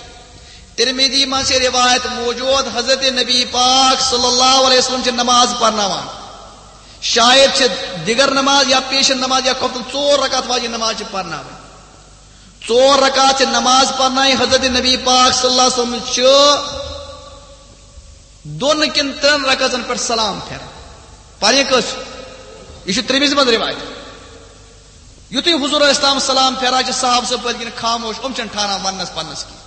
ترمذی منٛز چھِ روایت موجود، حضرت نبی پاک صلی اللہ علیہ وسلم چھِ نماز پرناوان۔ شاید چھِ دِگر نماز یا پیشن نماز یا خۄفتن ژور رکعت واجب نماز چھِ پرناوٕنۍ۔ ژور رکعت چھِ نماز پرناوٕنۍ۔ حضرت نبی پاک صلی اللہ علیہ وسلم چھِ دۄن کِنہٕ ترٛٮ۪ن رکعژن پٮ۪ٹھ سلام پھیران۔ پرٕنۍ کٔژ؟ یہِ چھُ ترمذی منٛز روایت۔ یُتھُے حضور علیہ السلام سلام پھیران چھِ، صحابہٕ صٲب پٔتۍ کِنۍ خاموش، یِم چھِنہٕ ٹھاران وننس پننس کینٛہہ۔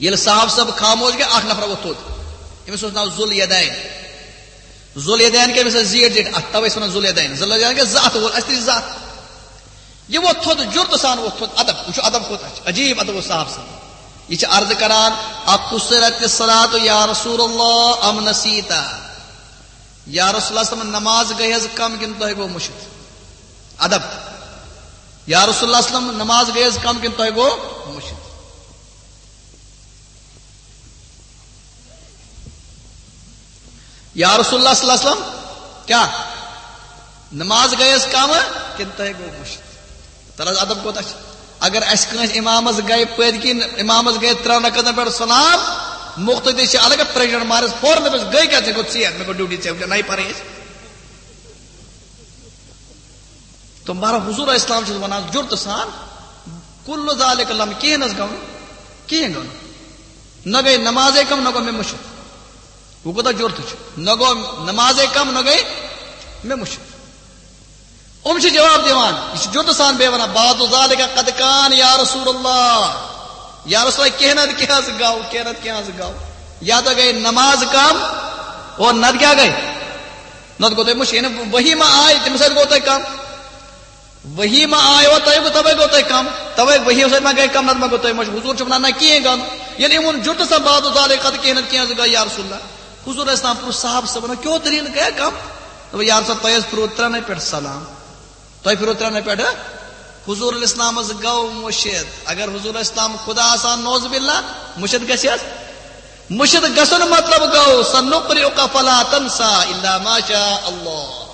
ییٚلہِ صحابہٕ صٲب خاموش گٔے، اکھ نفر ووٚتھ تھوٚد۔ أمِس اوس ناو ذُل یدین۔ ذُل یدین کیٛاہ؟ أمِس ٲس زیٖٹھ زیٖٹھ اتھٕ، توے ٲسۍ ونان ذُل یدین۔ ذُل یدین گٔے زٕ اتھٕ وول، اَسہِ تہِ چھِ زٕ اتھٕ۔ یہِ ووٚتھ تھوٚد، جُرتہٕ سان ووٚتھ تھوٚد۔ ادب، وٕچھِو ادب کوٗتاہ چھُ، عجیٖب ادب اوس صحابہٕ سُنٛد۔ یہِ چھِ عرض کران، "اقصرت الصلاۃ یا رسول اللہ ام نسیت؟" یا رسول اللہ صلی اللہ علیہ وسلم، نماز گٔے حظ کم کِنہٕ تۄہہِ گوٚو مٔشِتھ؟ ادب۔ یا رسول اللہ صلی اللہ علیہ وسلم، نماز گٔے حظ کم کِنہٕ تۄہہِ گوٚو مٔشِتھ؟ یا رسول اللہ صلی اللہ علیہ وسلم، کیٛاہ نماز گٔے حظ کم کِنہٕ تۄہہِ گوٚو مٔشِتھ؟ تَلہٕ حظ ادب کوٗتاہ چھُ۔ اگر اَسہِ کٲنٛسہِ امامس گٔے پٔتۍ کِنۍ، امامس گٔے ترٛٮ۪ن رکعتن پٮ۪ٹھ سلام، مقتدی چھِ الگ پریشر مارس فوراً دَپٮ۪س، "گٔے کیٛاہ؟ ژےٚ گوٚو ژیر، مےٚ گوٚو ڈیوٹی، ژےٚ وٕچھِ نَیہِ پَرٕنۍ اَسہِ۔" تہٕ مگر حضور اسلام چھُس وَنان جُرتہٕ سان، "کُلُّ ذالِکَ لَم"، کِہیٖنۍ نہٕ حظ گوٚو نہٕ، کِہیٖنۍ گوٚو نہٕ۔ نہ گٔے نمازے کم، نہ گوٚو مےٚ مٔشِتھ۔ وۄنۍ کوٗتاہ جُرتہٕ چھُ، نہ گوٚو نمازے کم، نہ گٔے مےٚ مٔشِتھ۔ یِم چھِ جواب دِوان، یہِ چھُ جُرتہٕ سان بیٚیہِ وَنان، "بعد ذالک قد کان یا رسول اللہ۔" یا رسول اللہ، کینٛہہ نتہٕ کینٛہہ حظ گوٚو، کینٛہہ نتہٕ کینٛہہ حظ گوٚو۔ یا تہٕ گٔے نماز کم، اور نتہٕ کیٛاہ گٔے؟ نتہٕ گوٚو تۄہہِ مُشکِل، یعنی وحی ما آیہِ، تَمہِ سۭتۍ گوٚو تۄہہِ کم۔ وحی ما آیہِ، اور تۄہہِ گوٚو، تَوَے گوٚو تۄہہِ کم۔ تَوَے وحی سۭتۍ ما گٔے کم، نتہٕ ما گوٚو تۄہہِ مُشکِل۔ حضور چھُ وَنان، نہ، کِہیٖنۍ گوٚو نہٕ۔ ییٚلہِ یِمَن جُرتہٕ سان بعد ذالک قد کینٛہہ نتہٕ کینٛہہ حظ گوٚو، یا رسول اللہ۔ حضور اسلام پرُژھ صحابہٕ صٲبن، کیٛاہ دٔلیٖل گٔیہ کم؟ دوٚپُن، یا رسول، تۄہہِ حظ پھِروٕ ترٛٮ۪نٕے پٮ۪ٹھ سلام۔ تۄہہِ پھِروٕ ترٛٮ۪نٕے پٮ۪ٹھ۔ حضور الاسلامس گوٚو مُشِد۔ اگر حضور الاسلام خدا آسان، نعوذ باللہ، مُشِد گژھِ حظ؟ مُشِد گژھُن مطلب گوٚو، "سنقرئک فلا تنسى الا ما شاء اللہ"۔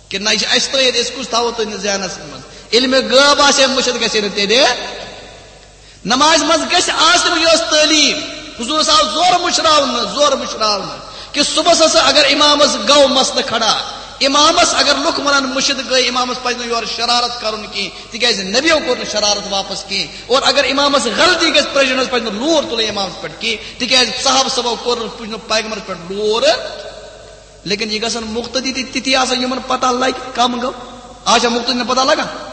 کہِ نہ، یہِ چھِ اَسہِ تٲیِد، أسۍ کُس تھاوو تُہٕنٛدِس ذہنس منٛز؟ علمِ غٲب آسہِ ہے، مُشِد گژھِ ہے نہٕ تیٚلہِ۔ نمازِ منٛز گژھِ آسٕنۍ یۄس تعلیٖم۔ حضورس آو زورٕ مُشراونہٕ، زورٕ مُشراونہٕ کہِ صبحس ہسا اگر امامس گوٚو مسلہٕ کھڑا، امامس اگر لُکھ ونان مُشِد گٔے، امامس پزِ نہٕ یورٕ شرارت کرُن کینٛہہ، تِکیازِ نبیو کوٚر نہٕ شرارت واپس کینٛہہ۔ اور اگر امامس غلطی گژھِ، پریشٲنی پزِ نہٕ لور تُلُن امامس پٮ۪ٹھ کینٛہہ، تِکیازِ صحابہٕ صٲبو کوٚر نہٕ، پُج نہٕ پیغمبرس پٮ۪ٹھ لور۔ لیکن یہِ گژھن مُقتدی تہِ تِتھی آسٕنۍ، یِمن پتہ لگہِ کم گوٚو۔ آز چھا مُقتدین پتہ لگان؟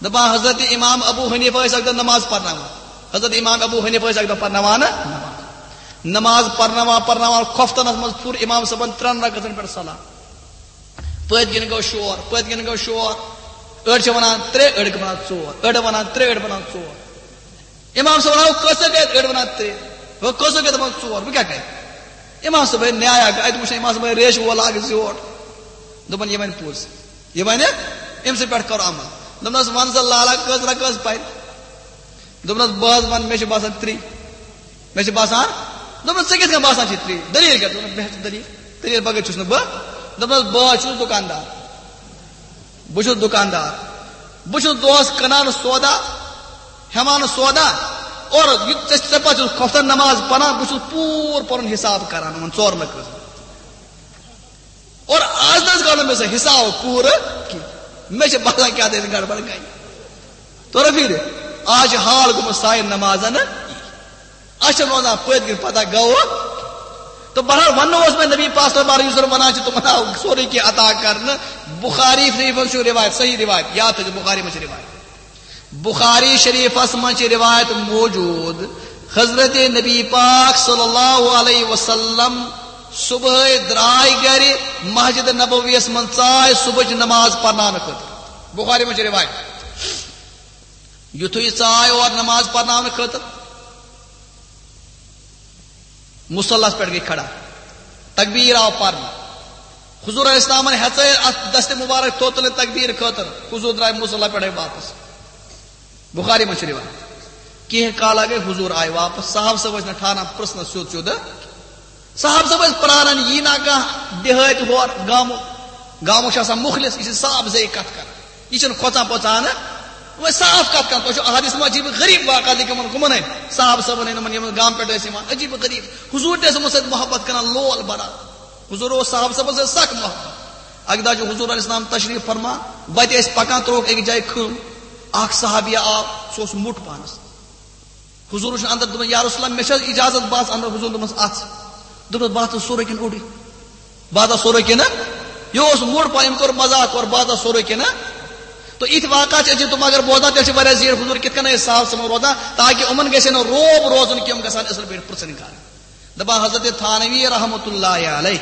دپان، حضرت امام ابو حنیفہ ٲسۍ اکہِ دۄہ نماز پرناوان۔ حضرت امام ابو حنیفہ ٲسۍ اکہِ دۄہ پرناوان نماز۔ نماز پرناوان پرناوان کھۄفتنس منٛز پھُر امام صٲبن ترٛٮ۪ن رکعتن پٮ۪ٹھ سلام۔ پٔتۍ کِنۍ گوٚو شور، پٔتۍ کِنۍ گوٚو شور۔ أڑۍ چھِ ونان ترٛےٚ، أڑۍ چھِ ونان ژور، أڑۍ ونان ترٛےٚ، أڑۍ ونان ژور۔ امام صٲبن آو کٔژ گٔے؟ أڑۍ ونان ترٛےٚ۔ ہُہ کٔژ گٔے؟ دپان ژور۔ بہٕ کیٛاہ کرٕ؟ امام صٲبن نیایا، اتہِ وُچھ امام صٲبن ریشہِ وول اکھ زیوٹھ۔ دوٚپُن، یہِ ونہِ پوٚز۔ یہِ ونہِ، أمۍ سٕے پٮ۪ٹھ کرو عمل۔ دوٚپنس، وَن سا لالا، کٔژ رکعت پرِ؟ دوٚپنس، بہٕ حظ ونہٕ، مےٚ چھِ باسان ترٛےٚ۔ مےٚ چھِ باسان۔ دوٚپنس، ژےٚ کِتھ کٔنۍ باسان چھِ ترٛےٚ؟ دٔلیٖل کیٛاہ؟ دوٚپنس، مےٚ چھِ دٔلیٖل۔ دٔلیٖل بغٲر چھُس نہٕ بہٕ۔ دوٚپنس، بہٕ حظ چھُس دُکاندار۔ بہٕ چھُس دُکاندار۔ بہٕ چھُس دۄہس کٕنان سودا، ہٮ۪وان سودا۔ اور یہِ ژےٚ، ژےٚ پتہٕ چھُس کھۄفتن نماز پران، بہٕ چھُس پوٗرٕ پنُن حساب کران یِمن ژورن رکعتن۔ اور آز نہ حظ گوٚو نہٕ مےٚ سُہ حساب پوٗرٕ کینٛہہ۔ مےٚ چھِ باسان کیٛاہ تہِ گڑبڑ گٔے۔ توٚر فِکرِ؟ آز چھِ حال گوٚمُت سانٮ۪ن نمازن۔ اَسہِ چھِ روزان پٔتۍ کِنۍ پتہ گوٚو۔ تہٕ بہرحال وننہٕ اوس مےٚ نبی پاک صلی اللہ علیہ وسلم ونان چھِ تِمن آو سورُے کینٛہہ عطا کرنہٕ۔ بخاری شریفس چھُ روایت، صحیح روایت، یاد تھٲیِو، بخاری منٛز چھِ روایت۔ بخاری شریفس منٛز چھِ روایت موجود، حضرت نبی پاک صلی اللہ علیہ وسلم صبحٲے درٛاے گرِ، مسجد نبویس منٛز ژاے صبحٕچ نماز پرناونہٕ خٲطرٕ۔ بخاری منٛز چھِ روایت۔ یُتھُے ژاے اور نماز پرناونہٕ خٲطرٕ، مصلس پٮ۪ٹھ گٔے کھڑا، تکبیر آو پرنہٕ۔ حضور علیہ السلامن ہیژے اتھ دست مبارک تھوٚد تُلِتھ تکبیر خٲطرٕ، حضور درٛاے مصلی پٮ۪ٹھے واپس۔ بخاری منٛز چھِ روایت۔ کینٛہہ کالا گٔے، حضور آے واپس، صحابہٕ صٲب ٲسۍ نہٕ ٹھاران پرژھنس سیوٚد سیوٚد۔ صحابہٕ صٲب ٲسۍ پراران، یی نا کانٛہہ دیہٲتۍ ہور گامُک، گامُک چھُ آسان مُخلص، یہِ چھِ صاف زے کتھ کران۔ یہِ چھُنہٕ کھۄژان پۄژان نہٕ۔ وۄنۍ صاف کتھ کران، تۄہہِ چھُو احادیث منٛز عجیٖب غریٖب واقعہ لیکھمُت کٕمن ہٕنٛدۍ؟ صحابہٕ صٲبن ہٕنٛدۍ، یِمن، یِمن گامہٕ پٮ۪ٹھ ٲسۍ یِوان، عجیٖب غریٖب۔ حضور تہِ ٲسۍ یِمن سۭتۍ محبت کران، لول بران۔ حضور اوس صحابہٕ صٲبن سۭتۍ سخ محبت۔ اکہِ دۄہ چھُ حضور علیہ السلام تشریف فرما، وتہِ ٲسۍ پکان، ترٛووُکھ أکِس جایہِ کھم۔ اکھ صحابی آو، سُہ اوس موٚٹ پانس۔ حضور وٕچھُن اندر، دوٚپُن، یا رسول اللہ، مےٚ چھا اجازت؟ بہٕ اژٕ اندر۔ حضور دوٚپمس، اژ۔ دوٚپمس، بہٕ اژٕ سورُے کِنہٕ اوٚڑُے؟ بہٕ ہسا سورُے کِنہٕ؟ یہِ اوس موٚٹ پہن، أمۍ کوٚر مذاق، کوٚر بہٕ ہسا سورُے کِنہٕ؟ تو یِتھۍ واقعہ چھِ أسۍ تِم اگر بوزان، تیٚلہِ چھِ واریاہ زیٖٹھ حضور کِتھ کٔنۍ ٲسۍ صاف سمجھ روزان، تاکہِ یِمن گژھِ نہٕ روب روزُن کہِ یِم گژھن اصل پٲٹھۍ پرژھٕنۍ کرٕنۍ۔ دپان حضرت تھانوی رحمت اللہ علیہ،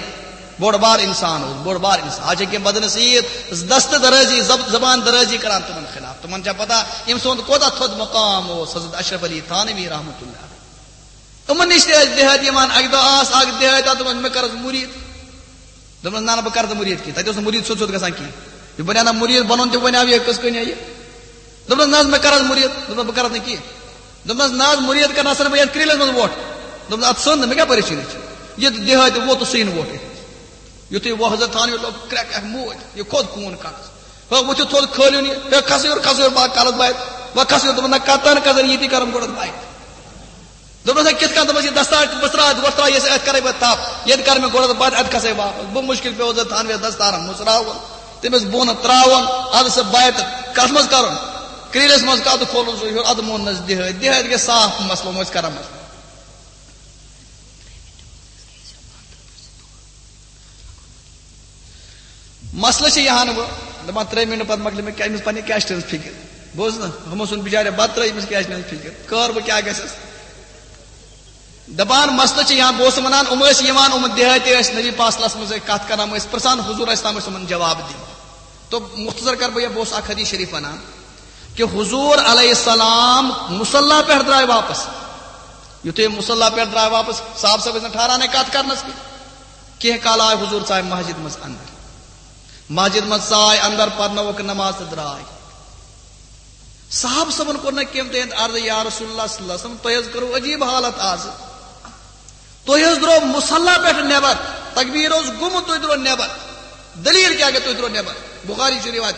بوٚڑ بار انسان اوس، بوٚڑ بار انسان۔ آز چھِ کینٛہہ بدنصیحت، دست درازی، زب-، زبان درازی کران تِمن خلاف۔ تِمن چھا پتہ أمۍ سُنٛد کوتاہ تھوٚد مقام اوس حضرت اشرف علی تھانوی رحمت اللہ علیہ؟ یِمن نِش تہِ ٲسۍ دیہٲتۍ یِوان۔ اکہِ دۄہ آس اکھ دیہٲتۍ، تَتھ دوٚپُن، "مےٚ کر حظ مُریٖد۔" دوٚپنَس، "نہ، نہ، بہٕ کرٕ نہٕ مُریٖد کینٛہہ۔" تَتہِ اوس نہٕ مُریٖد سیوٚد سیوٚد گژھان کینٛہہ۔ یہِ بنیٛاو نہ مُریٖد، بَنُن تہِ بنیٛاو یہِ کِتھ کٔنۍ یہِ۔ دوٚپنَس، "نہ حظ، مےٚ کر حظ مُریٖد۔" دوٚپنَس، "بہٕ کرٕ نہٕ کینٛہہ۔" دوٚپنَس، "نہ حظ، مُریٖد کرنَس ژھٕنہٕ بہٕ یَتھ کرٛیٖلَس منٛز وۄٹھ۔" دوٚپنَس، "اَدٕ ژھٕن نہٕ، مےٚ کیٛاہ پریشٲنی چھِ؟ یہِ دیہٲتۍ ووت تہٕ سُہ یِنہٕ وۄٹھ یِتھ۔" یُتھُے وۄنۍ حضرت تھانوی لوٚگ کرٛٮ۪کھ اکھ موج، یہِ کھوٚت خوٗن کَنَس۔ ہو، وۄتھِو تھوٚد کھٲلِو یہِ۔ ہے، کھسہٕ یور، کھسہٕ یور، بہٕ کَرَس بَتہِ۔ وۄنۍ کھسہٕ یور۔ دوٚپُن، "نہ، کَتَن کَزَن ییٚتی کَرَن گۄڈَس بَتہِ۔" دوٚپنَس، "ہے، کِتھ کٔنۍ؟" دوٚپمَس، "یہِ دَستار بَستار وۄستار یہِ اَتھ کَرَے بہٕ تَپھ۔ ییٚتہِ کَرٕ مےٚ گۄڈَس بَتہِ، اَتہِ کھسَے واپَس۔" بہٕ مُشکِل پیوٚو حضرت تھانوِیَس دَستارَن مُژراوُن، تٔمِس بۄن ترٛاوُن، اَدٕ سُہ بَتہِ کَتھ منٛز کَرُن؟ کرٛیٖلِس منٛز کَتھ کھولُن سُہ ہیوٚر، اَدٕ مون نَس دِہٲتۍ۔ دِہٲتۍ گٔے صاف مسلہٕ، وۄنۍ ٲسۍ کَران مسلہٕ۔ مسلہٕ چھِ یہِ ہن وۄنۍ، دَپان، ترٛےٚ مِنٹ پتہٕ مۄکلہِ مےٚ کیٛاہ، أمِس پننہِ کیچنہِ ہٕنٛز فِکر۔ بوٗز نہ، ہُمو سُنٛد بِچارِ بتہٕ ترٛٲو، أمِس کیچنہِ ہٕنٛز فِکر۔ کٲر بہٕ کیٛاہ گژھٮ۪س؟ دَپان، مسلہٕ چھِ یِہان، بہٕ اوسُس وَنان، یِم ٲسۍ یِوان، یِم دیہٲتی ٲسۍ، نبی پاک صلی اللہ علیہ وسلم ٲسۍ کَتھ کَران، یِم ٲسۍ پرٛژھان، حضور علیہ السلام ٲسۍ یِمَن جواب دِوان۔ تو مختصر کَرٕ بہٕ یہِ، بہٕ اوسُس اَکھ حدیث شریٖف وَنان کہِ حضور علیہ السلام مصلی پٮ۪ٹھ درٛاے واپس۔ یُتھُے مصلی پٮ۪ٹھ درٛاے واپس، صاحب صٲب ٲسۍ نہٕ ٹھہرانے کَتھ کَرنَس کینٛہہ۔ کینٛہہ کال آے حضور، ژاے مسجد منٛز اندر۔ مسجد منٛز ژاے اندر، پرنووُکھ نماز تہٕ درٛاے۔ صحابہٕ صٲبن کوٚر نہٕ کینٛہہ تہنٛد عرض، یا رسول اللہ صلی اللہ علیہ وسلم، تۄہہِ حظ کٔرٕو عجیٖب حالت آز۔ تُہۍ حظ درٛاو مصلی پٮ۪ٹھ نٮ۪بر، تکبیٖر اوس گوٚمُت، تُہۍ درٛاو نٮ۪بر۔ دٔلیٖل کیٛاہ گٔے، تُہۍ درٛاو نٮ۪بر؟ بُخاری چھُ رِوایت۔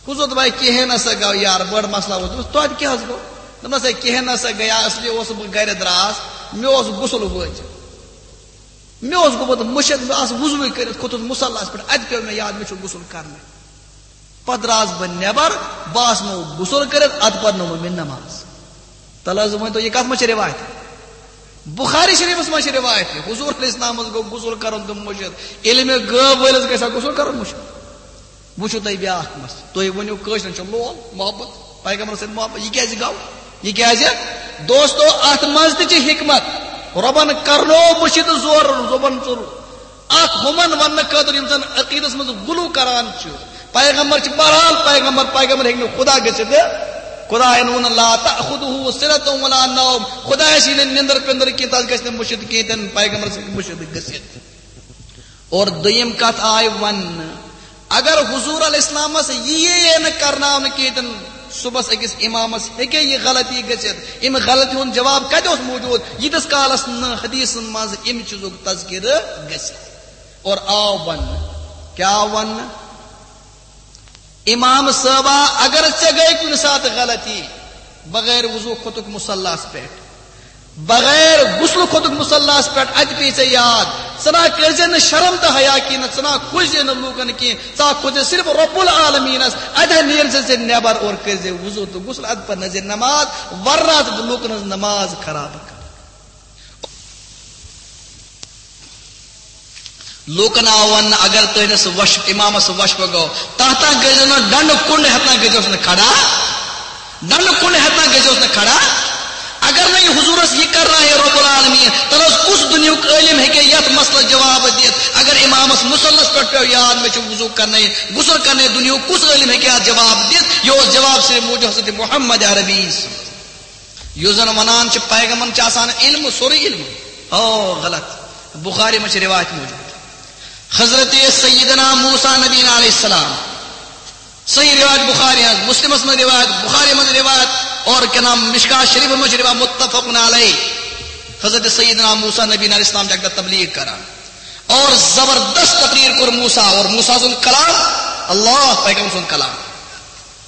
حضور دوٚپ، ہے، کِہیٖنۍ نہ سا گوٚو یار، بٔڑ مسلہٕ ووت۔ دوٚپُس، توتہِ کیٛاہ حظ گوٚو؟ دوٚپنَس، ہے، کِہیٖنۍ نہ سا گٔیا، اصلی اوسُس بہٕ گرِ درٛاس، مےٚ اوس غسل وٲجِتھ۔ مےٚ اوس گوٚمُت مٔشِتھ، مےٚ آس وضوٗے کٔرِتھ کھوٚتُس مُصلاہَس پٮ۪ٹھ، اَتہِ پیوٚو مےٚ یاد، مےٚ چھُ غسل کرنَے۔ پَتہٕ درٛاس بہٕ نٮ۪بر، بہٕ آس نہٕ غسل کٔرِتھ، اَدٕ پَرنٲومَو مےٚ نماز۔ تَلہٕ حظ ؤنۍ تو، یہِ کَتھ منٛز چھِ رِوایت؟ بُخاری شریٖفَس منٛز چھِ رِوایت یہِ۔ حضور علیہ السلامَس گوٚو غسل کَرُن تہٕ مٔشِتھ۔ ییٚلہِ مےٚ گٲو وٲلِس گژھِ ہا غسل کَرُن مٔشِتھ۔ وٕچھِو تُہۍ بیٛاکھ مسلہٕ۔ تُہۍ ؤنِو، کٲشرٮ۪ن چھُ لول، محبت، پیغمبرَس سۭتۍ محبت، یہِ کیٛازِ گوٚو؟ یہِ کیٛازِ؟ دوستو، اَتھ منٛز تہِ چھِ حکمت۔ رۄبَن کرنو مٔشِتھ زور، رۄبَن ژوٚر۔ اَتھ ہُمَن وَننہٕ خٲطرٕ یِم زَن عقیٖدَس منٛز غلو کران چھِ۔ پیغمبر چھِ بہرحال پیغمبر، پیغمبر ہیٚکہِ نہٕ خدا گٔژھِتھ۔ خدایَن ووٚن، "لا تأخذه سنة ولا نوم"، خدایَس یی نہٕ نِندٕر پِندٕر کینٛہہ، تَس گژھِ نہٕ مٔشِتھ کینٛہہ، تہِ نہٕ پیغمبرَس ہیٚکہِ مٔشِتھ گٔژھِتھ۔ اور دوٚیِم کَتھ آیہِ وَننہٕ، اگر حضور علیہ السلامس یی ہے نہٕ کرناونہٕ کینٛہہ، تن صبحس أکِس امامس ہیٚکہِ یہِ غلطی گٔژھِتھ۔ اَمہِ غلطی ہُنٛد جواب کتہِ اوس موجود؟ ییٖتِس کالس نہٕ حدیثن منٛز اَمہِ چیٖزُک تذکرٕ گژھِ۔ اور آو وننہٕ، کیٛاہ آو وننہٕ؟ امام صٲبا، اگر ژےٚ گٔے کُنہِ ساتہٕ غلطی، بغیر وضو کھوٚتُکھ مصلاہس پٮ۪ٹھ، بغیر غسلہٕ کھوٚتُکھ مصلاہس پٮ۪ٹھ، اَتہِ پیٚیہِ ژےٚ یاد، ژٕ نا کٔرۍ زِ نہٕ شرم تہٕ حیا کینٛہہ، ژٕ نا کھوژ زِ نہٕ لوٗکن کینٛہہ، ژٕ ہا کھوژ زِ صرف رب العالمینس، اَتہِ ہا نیر زِ ژےٚ نٮ۪بر اور کٔرۍ زِ وضو تہٕ غسل، اَدٕ پرنٲے زِ نماز، ورنہ آسہٕ بہٕ لوٗکن ہٕنٛز نماز خراب کران۔ لوٗکن آو وننہٕ، اگر تُہنٛدِس وش-، امامس وشفہٕ گوٚو، تتھ تام گٔژھۍزیو نہٕ ڈنڈٕ کُنڈ ہٮ۪تھ تام گٔژھۍزیوس نہٕ کھڑا، ڈنڈٕ کُنڈ ہٮ۪تھ تام گٔژھۍزیوس نہٕ کھڑا۔ اگر نہٕ یہِ حضوٗرس یہِ کرنایہِ رب العالمین، تیٚلہِ اوس کُس دُنیہُک عٲلِم ہیٚکہِ یتھ مسلس جواب دِتھ؟ اگر امامس مصلس پٮ۪ٹھ پیوٚو یاد، مےٚ چھُ وضوٗ کرنَے، غسل کرنَے، دُنیہُک کُس عٲلِم ہیٚکہِ یتھ جواب دِتھ؟ یہِ اوس جواب صرف موٗجوٗد حضرت محمد عربی سُنٛد۔ یُس زن ونان چھِ پیغمبرن چھِ آسان علم، سورُے علم۔ او، غلط۔ بخاری منٛز چھِ روایت موجود۔ حضرت سیدنا موسیٰ نبینا علیہ السلام۔ صحیح روایت بخاری ہٕنٛز، مسلمس منٛز روایت، بخاری منٛز روایت، اور کیا نام، مشکات شریف منٛز چھِ روایت، متفق علیہ۔ حضرت سیدنا موسیٰ نبینا علیہ السلام چھِ اکہِ دۄہ تبلیغ کران۔ اور زبردست تقریر کوٚر موسیٰ، اور موسیٰ سُنٛد کلام، اللہ پیغمبر سُنٛد کلام۔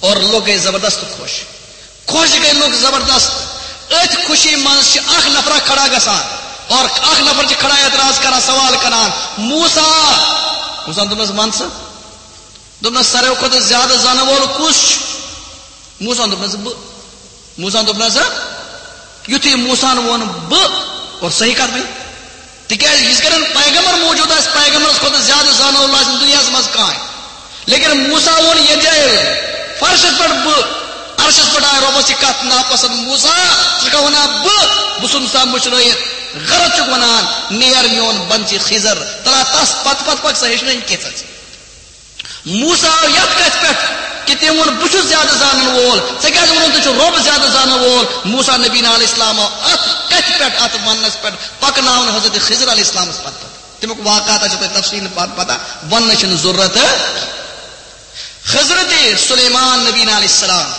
اور لوگ گٔے زبردست خوش۔ خوش گٔے لوگ زبردست۔ أتھۍ خوشی منٛز چھِ اکھ نفرا کھڑا گژھان اور اکھ نفر چھِ کھڑا اعتراض کران، سوال کران، "موسیٰ۔" موسیٰ دوٚپنس، "وَن سا۔" دوٚپنس، "ساروٕے کھۄتہٕ زیادٕ زانن وول کُس چھُ؟" موسیٰ دوٚپنس، "بہٕ۔" موسیٰ دوٚپنس، یُتھُے موسیٰ ہن ووٚن، "بہٕ"، اور صحیح کتھ ؤنۍ۔ تِکیازِ یِژھ کالن پیغمبر موجود آسہِ، پیغمبرس کھۄتہٕ زیادٕ زانن وول آسہِ نہٕ دُنیاہس منٛز کانٛہہ۔ لیکن موسیٰ ووٚن یتھ جایہِ، فرشس پٮ۪ٹھ بہٕ، عرشس پٮ۪ٹھ آیہِ رۄبس یہِ کتھ ناپسند، "موسیٰ، ژٕ چھکھا ونان بہٕ، بہٕ ژھُن سا مٔشرٲیِتھ، غلط چھُکھ ونان، نیر میون بنچی خضر، تلا تس پتہٕ پتہٕ پکھ سا، ہیٚچھنٲیِن کینٛژھا ژٕ۔" موسیٰ آو یتھ کتھِ پٮ۪ٹھ کہِ تٔمۍ ووٚن، "بہٕ چھُس زیادٕ زانن وول، ژےٚ کیازِ ووٚنُتھ ژٕ چھُکھ رۄب زیادٕ زانن وول؟" موسیٰ نبینا علیہ السلام آو اتھ کتھِ پٮ۪ٹھ، اتھ وننس پٮ۪ٹھ پکناونہٕ حضرت خضر علیہ السلامس پتہٕ پتہٕ۔ تمیُک واقعہ تہ چھِ تۄہہِ تفصیل پتہٕ پتہ، وننٕچ چھنہٕ ضرورت۔ حضرت سلیمان نبینا علیہ السلام،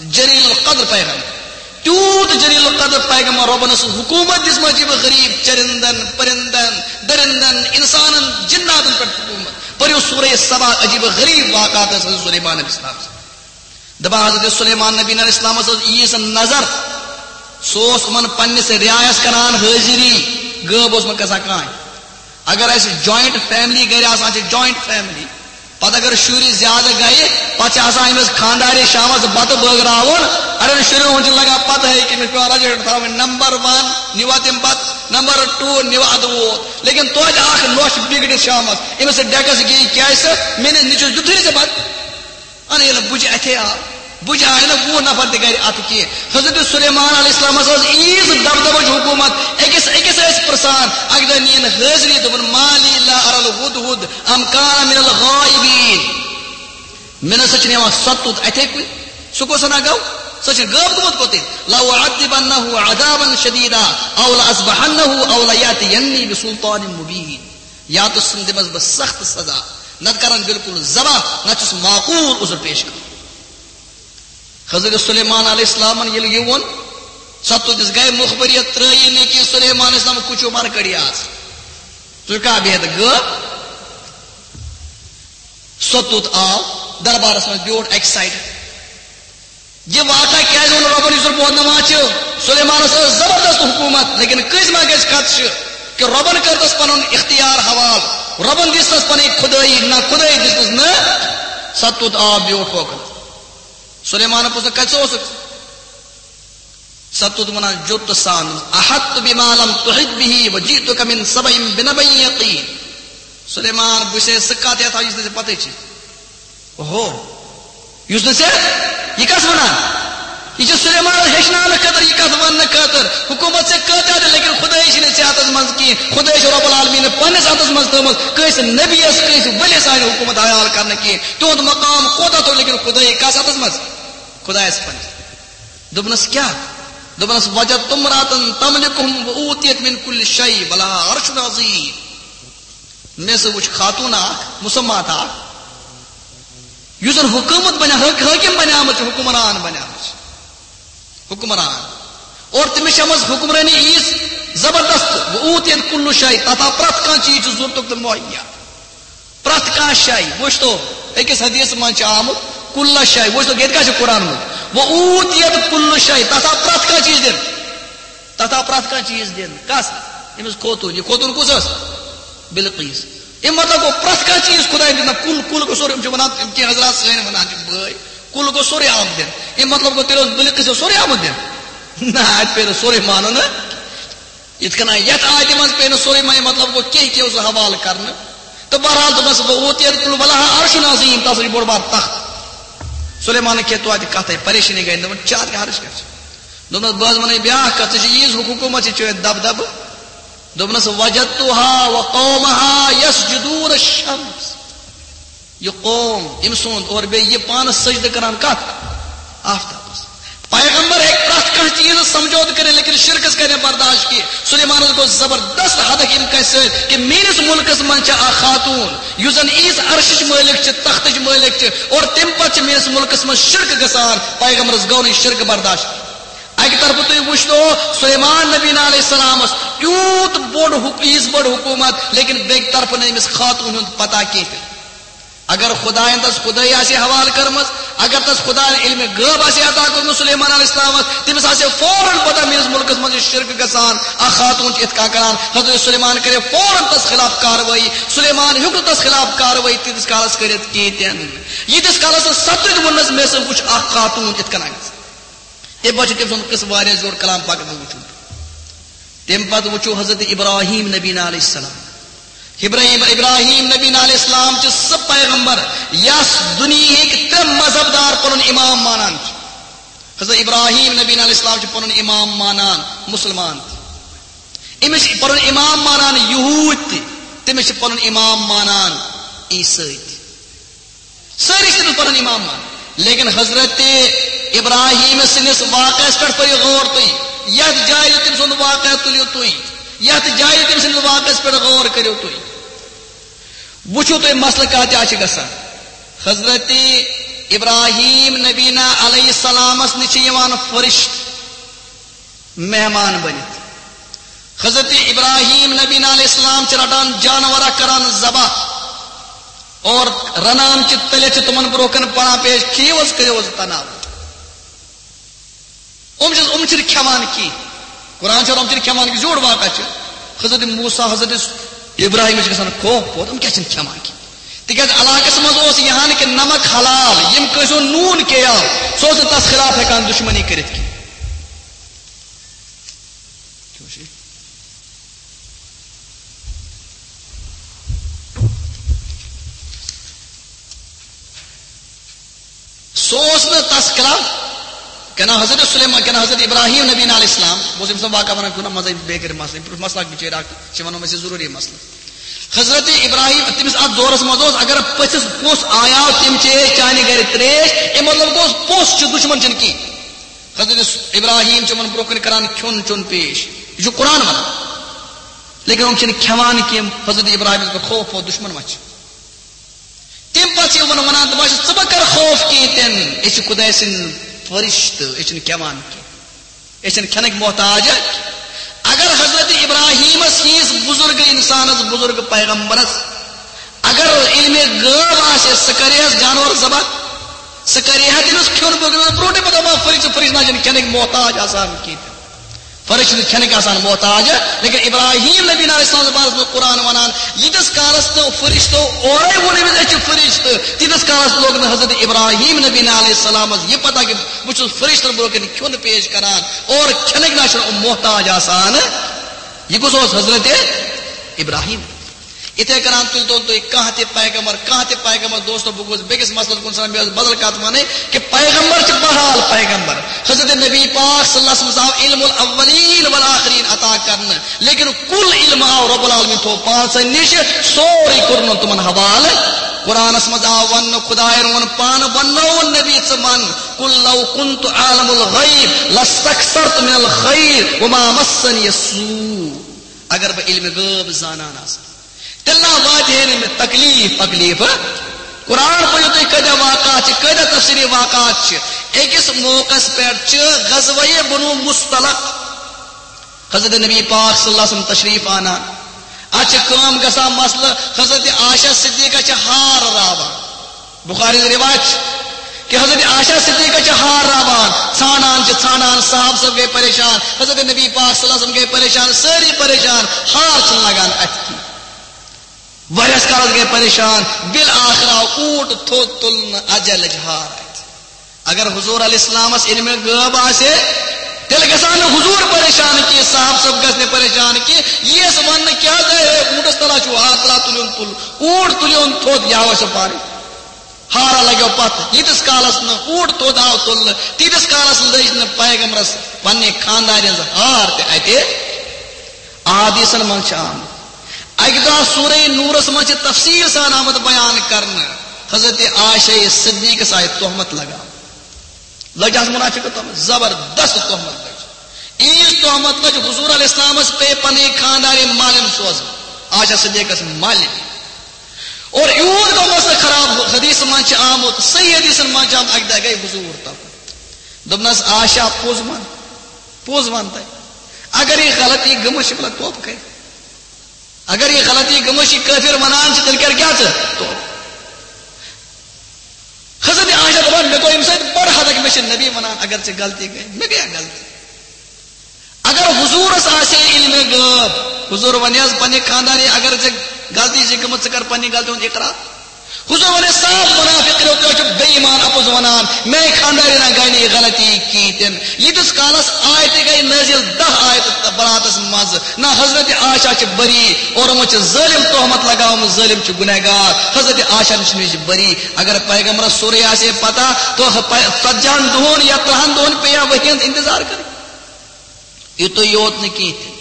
جلیل القدر پیغمبر، تیوٗت جلیل القدر پیغمبر، رۄبن ٲس حکوٗمت دِژمٕژ عجیٖب غریٖب چرندن، پرندن، درندن، انسانن، جناتن پٮ۪ٹھ حکوٗمت۔ پٔرِو سورہ سبا، عجیٖب غریٖب واقعات ٲس حضرت سلیمان علیہ السلام۔ دپان حضرت سلیمان نبی علیہ السلامس ٲس ییٖژ نظر، سُہ اوس یِمن پننِس رعایس کران حٲضری، غٲب اوس نہٕ گژھان کانٛہہ۔ اگر اسہِ جوائنٹ فیملی گرِ آسان چھِ، جوائنٹ فیملی، پتہٕ اگر شُرۍ زیادٕ گٔیہِ، پتہٕ چھِ آسان أمِس خانٛدارِ شامس بتہٕ بٲگراوُن۔ اڑٮ۪ن شُرٮ۪ن ہُنٛد چھِ لگان پتہٕ ہٕے کہِ أمِس چھِ پٮ۪وان رجسٹر تھاوٕنۍ، نمبر ون نِوا تَمہِ پتہٕ، نمبر ٹوٗ نِوا اَدٕ ووت۔ لیکن توتہِ اکھ نۄش بِگڑِتھ شامس، أمِس سۭتۍ ڈیکس گیٚیہِ، کیٛازِ سا مےٚ نِش نیٚچوِس دیُتھُے نہٕ ژےٚ بتہٕ۔ اَنہٕ ییٚلہِ بُجہِ اَتھے آو، بُجہِ آیہِ نہٕ وُہ نفر تہِ گرِ اَتھٕ کینٛہہ۔ حضرت سلیمان علیہ السلامس ٲس عیٖژ دبدبٕچ حکوٗمت، أکِس أکِس ٲسۍ پرٛژھان۔ اَکہِ دۄہ نِیَن حٲضری، دوٚپُن، "ما لی لا ارى الهدهد ام كان من الغائبين؟" مےٚ نہ سا چھُنہٕ یِوان سۄ توٚت اَتھے کُنہِ۔ سُہ کُس ہنا گوٚو؟ سُہ چھُ غٲب گوٚمُت کوٚتٕے۔ "لأعذبنه عذابا شديدا أو لأذبحنه أو ليأتيني بسلطان مبين۔" یا تہٕ سُہ دِمس بہٕ سخت سزا، نتہٕ کرن بالکل ذبح، نتہٕ چھُس معقول عذر پیش کرُن۔ حضرت سلیمان علیہ السلامن ییٚلہِ یہِ ووٚن، سۄ توٚت دِژ گے مُخبریت، ترٲیی نہٕ کینٛہہ۔ سلیمان علیہ السلام کُچو مر کڑی آز۔ ژٕ کا بِہِتھ غٲب؟ سۄ توٚت آو دربارس منٛز بیوٗٹھ اکہِ سایڈٕ۔ یہِ واقعہ کیازِ ووٚن رۄبن، یُس زن بوزناوان چھِ؟ سلیمانس ٲس زبردست حکوٗمت، لیکن کٲنٛسہِ ما گژھِ خدشہٕ کہِ رۄبن کٔر تس پنُن اختیار حوال، رۄبن دِژ تس پنٕنۍ خدٲیی، نہ خدٲیی دِژ تس نہٕ۔ سۄ توٚت آو بیوٗٹھ ہوکُن۔ سلیمانن پرٛژھ، "کتہِ اوسُکھ؟" سۄ توٚت ونان جوٚت تہٕ سان، "أحطت بما لم تحط به وجئتك من سبأ بنبأ يقين۔" سلیمان، بہٕ چھُسے سُہ کتھ یتھ یُس نہٕ ژےٚ پتہٕ چھِ۔ اوہو، یُس نہٕ ژےٚ، یہِ کس ونان؟ یہِ چھُ سلیمانس ہیٚچھناونہٕ خٲطرٕ، یہِ کتھ وننہٕ خٲطرٕ۔ حکوٗمت ژےٚ کۭژاہ تہِ، لیکن خدٲیی چھِنہٕ ژےٚ اتھس منٛز کینٛہہ۔ خدٲیی چھِ رب العالمین پننِس اتھس منٛز تھٲومٕژ۔ کٲنٛسہِ نبیس، کٲنٛسہِ ؤلِس آسہِ نہٕ حکوٗمت حیال کرنہٕ کینٛہہ۔ تِہُنٛد مقام کوتاہ تھوٚد، لیکن خدٲیی کس اتھس منٛز؟ خدایس پننِس۔ دوٚپنس، "کیٛاہ؟" دوٚپنس، "وجدت امرأة تملكهم وأوتيت من كل شيء ولها عرش عظيم۔" مےٚ سا وٕچھ خاتوٗن اکھ، مسمات اکھ، یُس زن حکومت بنیٛا-، حٲک-، حٲکِم بنیٛامٕژ چھِ، حکمران بنیٛامٕژ چھِ، حکمران۔ اور تٔمِس چھےٚ منٛز حکمرٲنی ییٖژ زبردست، وأوتيت كل شيء، تتھ آو پرٛٮ۪تھ کانٛہہ چیٖز چھُ ضروٗرتُک تہٕ مہیا۔ پرٛٮ۪تھ کانٛہہ شے، وٕچھتو، أکِس حدیث منٛز چھِ آمُت، "کل شے"، وٕچھتو، ییٚتہِ کیٛاہ چھُ قرآن منٛز؟ "وأوتيت كل شيء"، تتھ آو پرٛٮ۪تھ کانٛہہ چیٖز دِنہٕ۔ تتھ آو پرٛٮ۪تھ کانٛہہ چیٖز دِنہٕ۔ کس؟ أمِس خوتوٗن۔ یہِ خوتوٗن کُس ٲس؟ بلقیس۔ اَمہِ مطلب گوٚو پرٛٮ۪تھ کانٛہہ چیٖز خدایَن دیُت نہ۔ کُل، کُل گوٚو سورُے، یِم چھِ وَنان، یِم کینٛہہ حضرات سٲنۍ وَنان چھِ بٲے، کُل گوٚو سورُے آمُت دِنہٕ۔ اَمہِ مطلب گوٚو تیٚلہِ اوس بلقیس اوس سورُے آمُت دِنہٕ۔ نہ، اَتہِ پیٚیہِ نہٕ سورُے مانُن نہ۔ یِتھ کٔنۍ یَتھ آیتہِ منٛز پیٚیہِ نہٕ سورُے مانُن، مطلب گوٚو کینٛہہ کینٛہہ اوس حوالہٕ کرنہٕ۔ تہٕ بہرحال دوٚپنَس، "وأوتيت كل، ولها عرش عظيم"، تَس چھِ بوٚڑ بار تخت۔ سلیمانَن کھے توتہِ کَتھَے، پریشٲنی گٔے، دوٚپُن، "چار کیٛاہ عرش کیٛاہ چھِ؟" دوٚپنَس، "بہٕ حظ وَنَے بیٛاکھ کَتھ، ژےٚ چھِ ییٖژ حکوٗمت، ژےٚ چھُ دَب دَبہٕ۔" دوٚپنَس، "وجدتها وقومها يسجدون الشمس۔" یہِ قوم، أمۍ سُنٛد، اور بیٚیہِ یہِ پانَس سجدٕ کران کَتھ؟ آفتابَس۔ پیغمبر ہیٚکہِ پرٛٮ۪تھ کانٛہہ چیٖز سمجھوتہٕ کٔرِتھ، لیکن شرکس کرِ نہٕ برداشت کینٛہہ۔ سلیمانس گوٚو زبردست حدک امہِ کتھِ سۭتۍ کہِ میٲنِس مُلکس منٛز چھِ اکھ خاتوٗن، یُس زن ییٖژ عرشٕچ مٲلِک چھِ، تختٕچ مٲلِک چھِ، اور تمہِ پتہٕ چھِ میٲنِس مُلکس منٛز شرک گژھان۔ پیغمبرس گوٚو نہٕ یہِ شرک برداشت۔ اکہِ طرفہٕ تُہۍ وٕچھتو سلیمان نبی علیہ السلامس یوٗت بوٚڑ حُک-، ییٖژ بٔڑ حکوٗمت، لیکن بیٚکہِ طرفہٕ نہٕ أمِس خاتوٗن ہُنٛد پتہ کینٛہہ تہِ۔ اگر خدایَن تَس خدٲیی آسہِ حوالہٕ کٔرمٕژ، اگر تَس خدایَن علمِ غٲب آسہِ عطا کوٚرمُت سلیمان علیہ السلامَس، تٔمِس آسہِ فوراً پتہ میٲنِس مُلکَس منٛز یہِ شرک گژھان، اکھ خاتوٗن چھِ یِتھ کٔنۍ کران۔ حضرت سلیمان کرے فوراً تَس خلاف کاروٲیی۔ سلیمان ہیوٚک نہٕ تَس خلاف کاروٲیی تیٖتِس کالَس کٔرِتھ کینٛہہ تہِ نہٕ۔ ییٖتِس کالَس نہٕ سَتُے ووٚننَس، مےٚ سا وٕچھ اکھ خاتوٗن یِتھ کٔنۍ۔ تَمہِ پتہٕ چھُ تٔمۍ سُنٛد قصہٕ واریاہ زیوٗٹھ کلام، پگاہ دۄہ وٕچھُن۔ تَمہِ پتہٕ وٕچھو حضرت ابراہیم نبی علیہ السلام۔ ابراہیم، ابراہیم نبی علیہ السلام چھُ سُہ پیغمبر یَس دُنیہٕکۍ ترٛےٚ مذہب دار پنُن امام مانان چھِ۔ حضرت ابراہیم نبی علیہ السلام چھُ پنُن امام مانان مُسلمان تہِ۔ أمِس چھِ پنُن امام مانان یہوٗدۍ تہِ، تٔمِس چھِ پنُن امام مانان عیسٲے تہِ۔ سٲری چھِ تٔمِس پنُن امام مانان۔ لیکن حضرت ابراہیم سٕنٛدِس واقعس پٮ۪ٹھ پٔرِو غور تُہۍ۔ یتھ جایہِ تٔمۍ سُنٛد واقعہ تُلِو تُہۍ۔ یتھ جایہِ تٔمۍ سٕنٛدِس واقعس پٮ۪ٹھ غور کٔرِو تُہۍ۔ وٕچھِو تُہۍ مسلہٕ کتھ جایہِ چھِ گژھان۔ حضرت ابراہیم نبینا علیہ السلامس نِش چھِ یِوان فرشتہٕ مہمان بٔنِتھ۔ حضرت ابراہیم نبی علیہ السلام چھِ رٹان جانور اکھ کران ذبح اور رنان چھِ تٔلِتھ چھِ تِمن برونٛہہ کَنہِ پران پیش، "کھیٚیِو حظ، کٔرِو حظ تناو۔" یِم چھِ، یِم چھِنہٕ کھٮ۪وان کینٛہہ۔ قرآن چھُ، یِم چھِنہٕ کھٮ۪وان کینٛہہ، زیوٗٹھ واقعہ چھُ۔ حضرت موسیٰ، حضرت ابراہیم چھِ گژھان خوف پوت، یِم کیٛاہ چھِنہٕ کھٮ۪وان کینٛہہ؟ تِکیٛازِ علاقس منٛز اوس یہِ ہن کہِ نمک حلال، ییٚمہِ کٲنٛسہِ ہُنٛد نوٗن کھیٚیاو، سُہ اوس نہٕ تس خلاف ہٮ۪کان دُشمنی کٔرِتھ کینٛہہ۔ سُہ اوس نہٕ تس خلاف، کہِ نہ حضرت سلیمان، کہِ نہ حضرت ابراہیم نبی علیہ السلام، بہٕ اوسُس أمۍ سُنٛد واقعہ ونان، کُنہِ منٛز بیٚیہِ کٔرِتھ مسلہٕ، یِم چھِ مسلہٕ اکھ بِچٲرۍ اکھ، چھِ ونان أسۍ ضروٗری مسلہٕ۔ حضرت ابراہیم، تٔمِس اتھ دورس منٛز اوس، اگر پٔژھِس پوٚژھ آیاو، تٔمۍ چیٚیے چانہِ گرِ تریش، اَمیُک مطلب گوٚو پوٚژھ چھُ، دُشمن چھُنہٕ کینٛہہ۔ حضرت ابراہیم چھُ یِمن برونٛہہ کُن کران کھیوٚن چیوٚن پیش۔ یہِ چھُ قرآن ونان۔ لیکن یِم چھِنہٕ کھٮ۪وان کینٛہہ۔ حضرت ابراہیمس گوٚو خوف، ووت دُشمن ما چھِ۔ تَمہِ پتہٕ چھِ یِمن ونان، دپان چھِ، "ژٕ مہ کر خوف کینٛہہ تہِ نہٕ، أسۍ چھِ خداے سٕنٛدۍ فرشتہٕ، أسۍ چھِنہٕ کھٮ۪وان کینٛہہ، أسۍ چھِنہٕ کھٮ۪نٕکۍ محتاج۔" اگر حضرت ابراہیمس ہِوِس بزرگ انسانس، بزرگ پیغمبرس، اگر علمِ غٲب آسہِ ہے، سُہ کرِ ہے جانور ذبح، سُہ کرِ ہے تٔمِس کھیوٚن، بہٕ برونٛٹھٕے پتہٕ دپان، فرشتہٕ، فرشتہٕ نہ چھِنہٕ کھٮ۪نٕکۍ محتاج آسان کینٛہہ۔ فرشتہٕ چھِنہٕ کھٮ۪نٕکۍ آسان محتاج، لیکن ابراہیم نبی علیہ السلام بارس منٛز قرآن ونان، ییٖتِس کالس نہٕ فرشتو اورے ووٚن أمِس، أسۍ چھِ فرشتہٕ، تیٖتِس کالس لوٚگ نہٕ حضرت ابراہیم نبی علیہ السلامس یہِ پتہ کہِ بہٕ چھُس فرشتن برونٛہہ کنہِ کھیوٚن پیش کران اور کھٮ۪نٕکۍ نہ چھِنہٕ یِم محتاج آسان۔ یہِ کُس اوس؟ حضرت ابراہیم۔ یِتھے کٔنۍ تُلۍ تو تُہۍ کانٛہہ تہِ پیغمبر، کانٛہہ تہِ پیغمبر، دوستو، بہٕ گوس بیٚکِس مسلس کُن سان، مےٚ ٲس بدل کتھ ونٕنۍ کہِ پیغمبر چھِ بہرحال پیغمبر۔ حضرت نبی پاک صلی اللہ علیہ وسلم آو علم الاولین والآخرین عطا کرنہٕ، لیکن کل علم آو رب العالمین تھوٚو پانسن نِش، سورُے کوٚرنَن تِمن حوالہٕ۔ قرآنس منٛز آو وننہٕ، خدایَن ووٚن پانہٕ، وننووُن نبی ژٕ ون، "قل لو کنت اعلم الغیب لاستکثرت من الخیر وما مسنی السوء"۔ اگر بہٕ علمِ غٲب زانان آسہٕ، تیٚلہِ نہ واتہِ ہے نہٕ مےٚ تکلیف، تکلیف۔ قرآن پٔرِو تُہۍ، کۭتیاہ واقعات چھِ، کۭتیاہ تفصیلی واقعات چھِ۔ أکِس موقعس پٮ۪ٹھ چھِ غزوہ بنو مصطلق، حضرت نبی پاک صلی اللہ علیہ وسلم تشریف آنان۔ اتھ چھِ کٲم گژھان، مسلہٕ، حضرت عائشہ صدیقہ چھِ ہار راوان۔ بخاری ہٕنٛز روایت چھِ کہ حضرت عائشہ صدیقہ چھِ ہار راوان، ژھانڈان چھِ، ژھانڈان، صحابہٕ صٲب گٔے پریشان، حضرت نبی پاک صلی اللہ علیہ وسلم گٔے پریشان، سٲری پریشان، ہار چھِنہٕ لگان اتھِ کینٛہہ۔ واریاہس کالس گٔے پریشان، بالآخر آو اوٗنٹ تھوٚد تُلنہٕ، اجلٕچ ہار اتھِ۔ اگر حضور علیہ السلامس علمِ غٲب آسہِ ہے، تیٚلہِ گژھِ ہا نہٕ حضور پریشان کینٛہہ، صحابہٕ صٲب گژھِ نہٕ پریشان کینٛہہ۔ یِیَس وننہٕ، کیٛاہ گٔے ہے، اوٗنٹس تل ہا چھُو ہار، تل ہا تُلیوُن تُل، اوٗنٹ تُلیوُن تھوٚد، یہِ آو اَسہِ پانے۔ ہارا لگیو پتہٕ، ییٖتِس کالس نہٕ اوٗنٹ تھوٚد آو تُلنہٕ، تیٖتِس کالس لٔج نہٕ پیغمبرس پننہِ خاندارِ ہٕنٛز ہار تہِ اتہِ۔ احادیثن منٛز چھِ آمٕتۍ۔ اکہِ دۄہ سورہ نورس منٛز چھِ تفصیل سان آمُت بیان کرنہٕ، حضرت عائشہ صدیقس آیہِ تہمت لگاونہٕ۔ لٔج آز منافقت تہمت، زبردست تہمت لٔج۔ ییٖژ تہمت لٔج، حضور علیہ السلامس پے پنٕنۍ خاندارِ مالِن سوزٕنۍ، عائشہ صدیقس مالِن۔ اور یوٗت گوٚو مسلہٕ خراب، حدیث منٛز چھِ آمُت، صحیح حدیثن منٛز چھِ آمُت، اکہِ دۄہ گٔے حضور تہمت۔ دوٚپنس، "عائشہ، پوٚز ون، پوٚز ون تۄہہِ، اگر یہِ غلطی گٔمٕژ چھِ، بلہ توبہٕ کٔرِتھ۔ اگر یہِ غلطی گٔمٕژ چھِ، کٲفِر ونان چھِ، تیٚلہِ کر کیٛاہ ژٕ توبہٕ؟" حضرت عائشہ دپان، مےٚ گوٚو اَمہِ سۭتۍ بٔڑ حدک، مےٚ چھِ نبی ونان، اگر ژےٚ غلطی گٔے، مےٚ گٔیا غلطی۔ اگر حضورس آسہِ ہے علمِ غٲب، حضور ونہِ حظ پننہِ خاندارِ، اگر ژےٚ غلطی چھِ گٔمٕژ، ژٕ کر پننہِ غلطی ہُنٛد اقرار۔ حضور ونہِ صاف، منافق کریو، تُہۍ چھِو بے ایمان، اپُز ونان، میانہِ خاندارِ نہ گٔے نہٕ یہِ غلطی کِہیٖنۍ تہِ نہٕ۔ ییٖتِس کالس آیتہِ گٔے نٲزِل، دَہ آیتہٕ براتس منٛز، نہ حضرت عائشہ چھِ بری اور یِمو چھِ ظٲلم تہمت لگاومٕژ، ظٲلم چھِ گنہگار۔ حضرت عائشہ نِش چھِ بری۔ اگر پیغمبرس سورُے آسہِ ہے پتہ، تو ژتجی ہن دۄہن یا ترٛہن دۄہن پیٚیہِ ہا وحی ہُنٛد انتظار کرٕنۍ۔ یُتُے یوت نہٕ کینٛہہ تہِ۔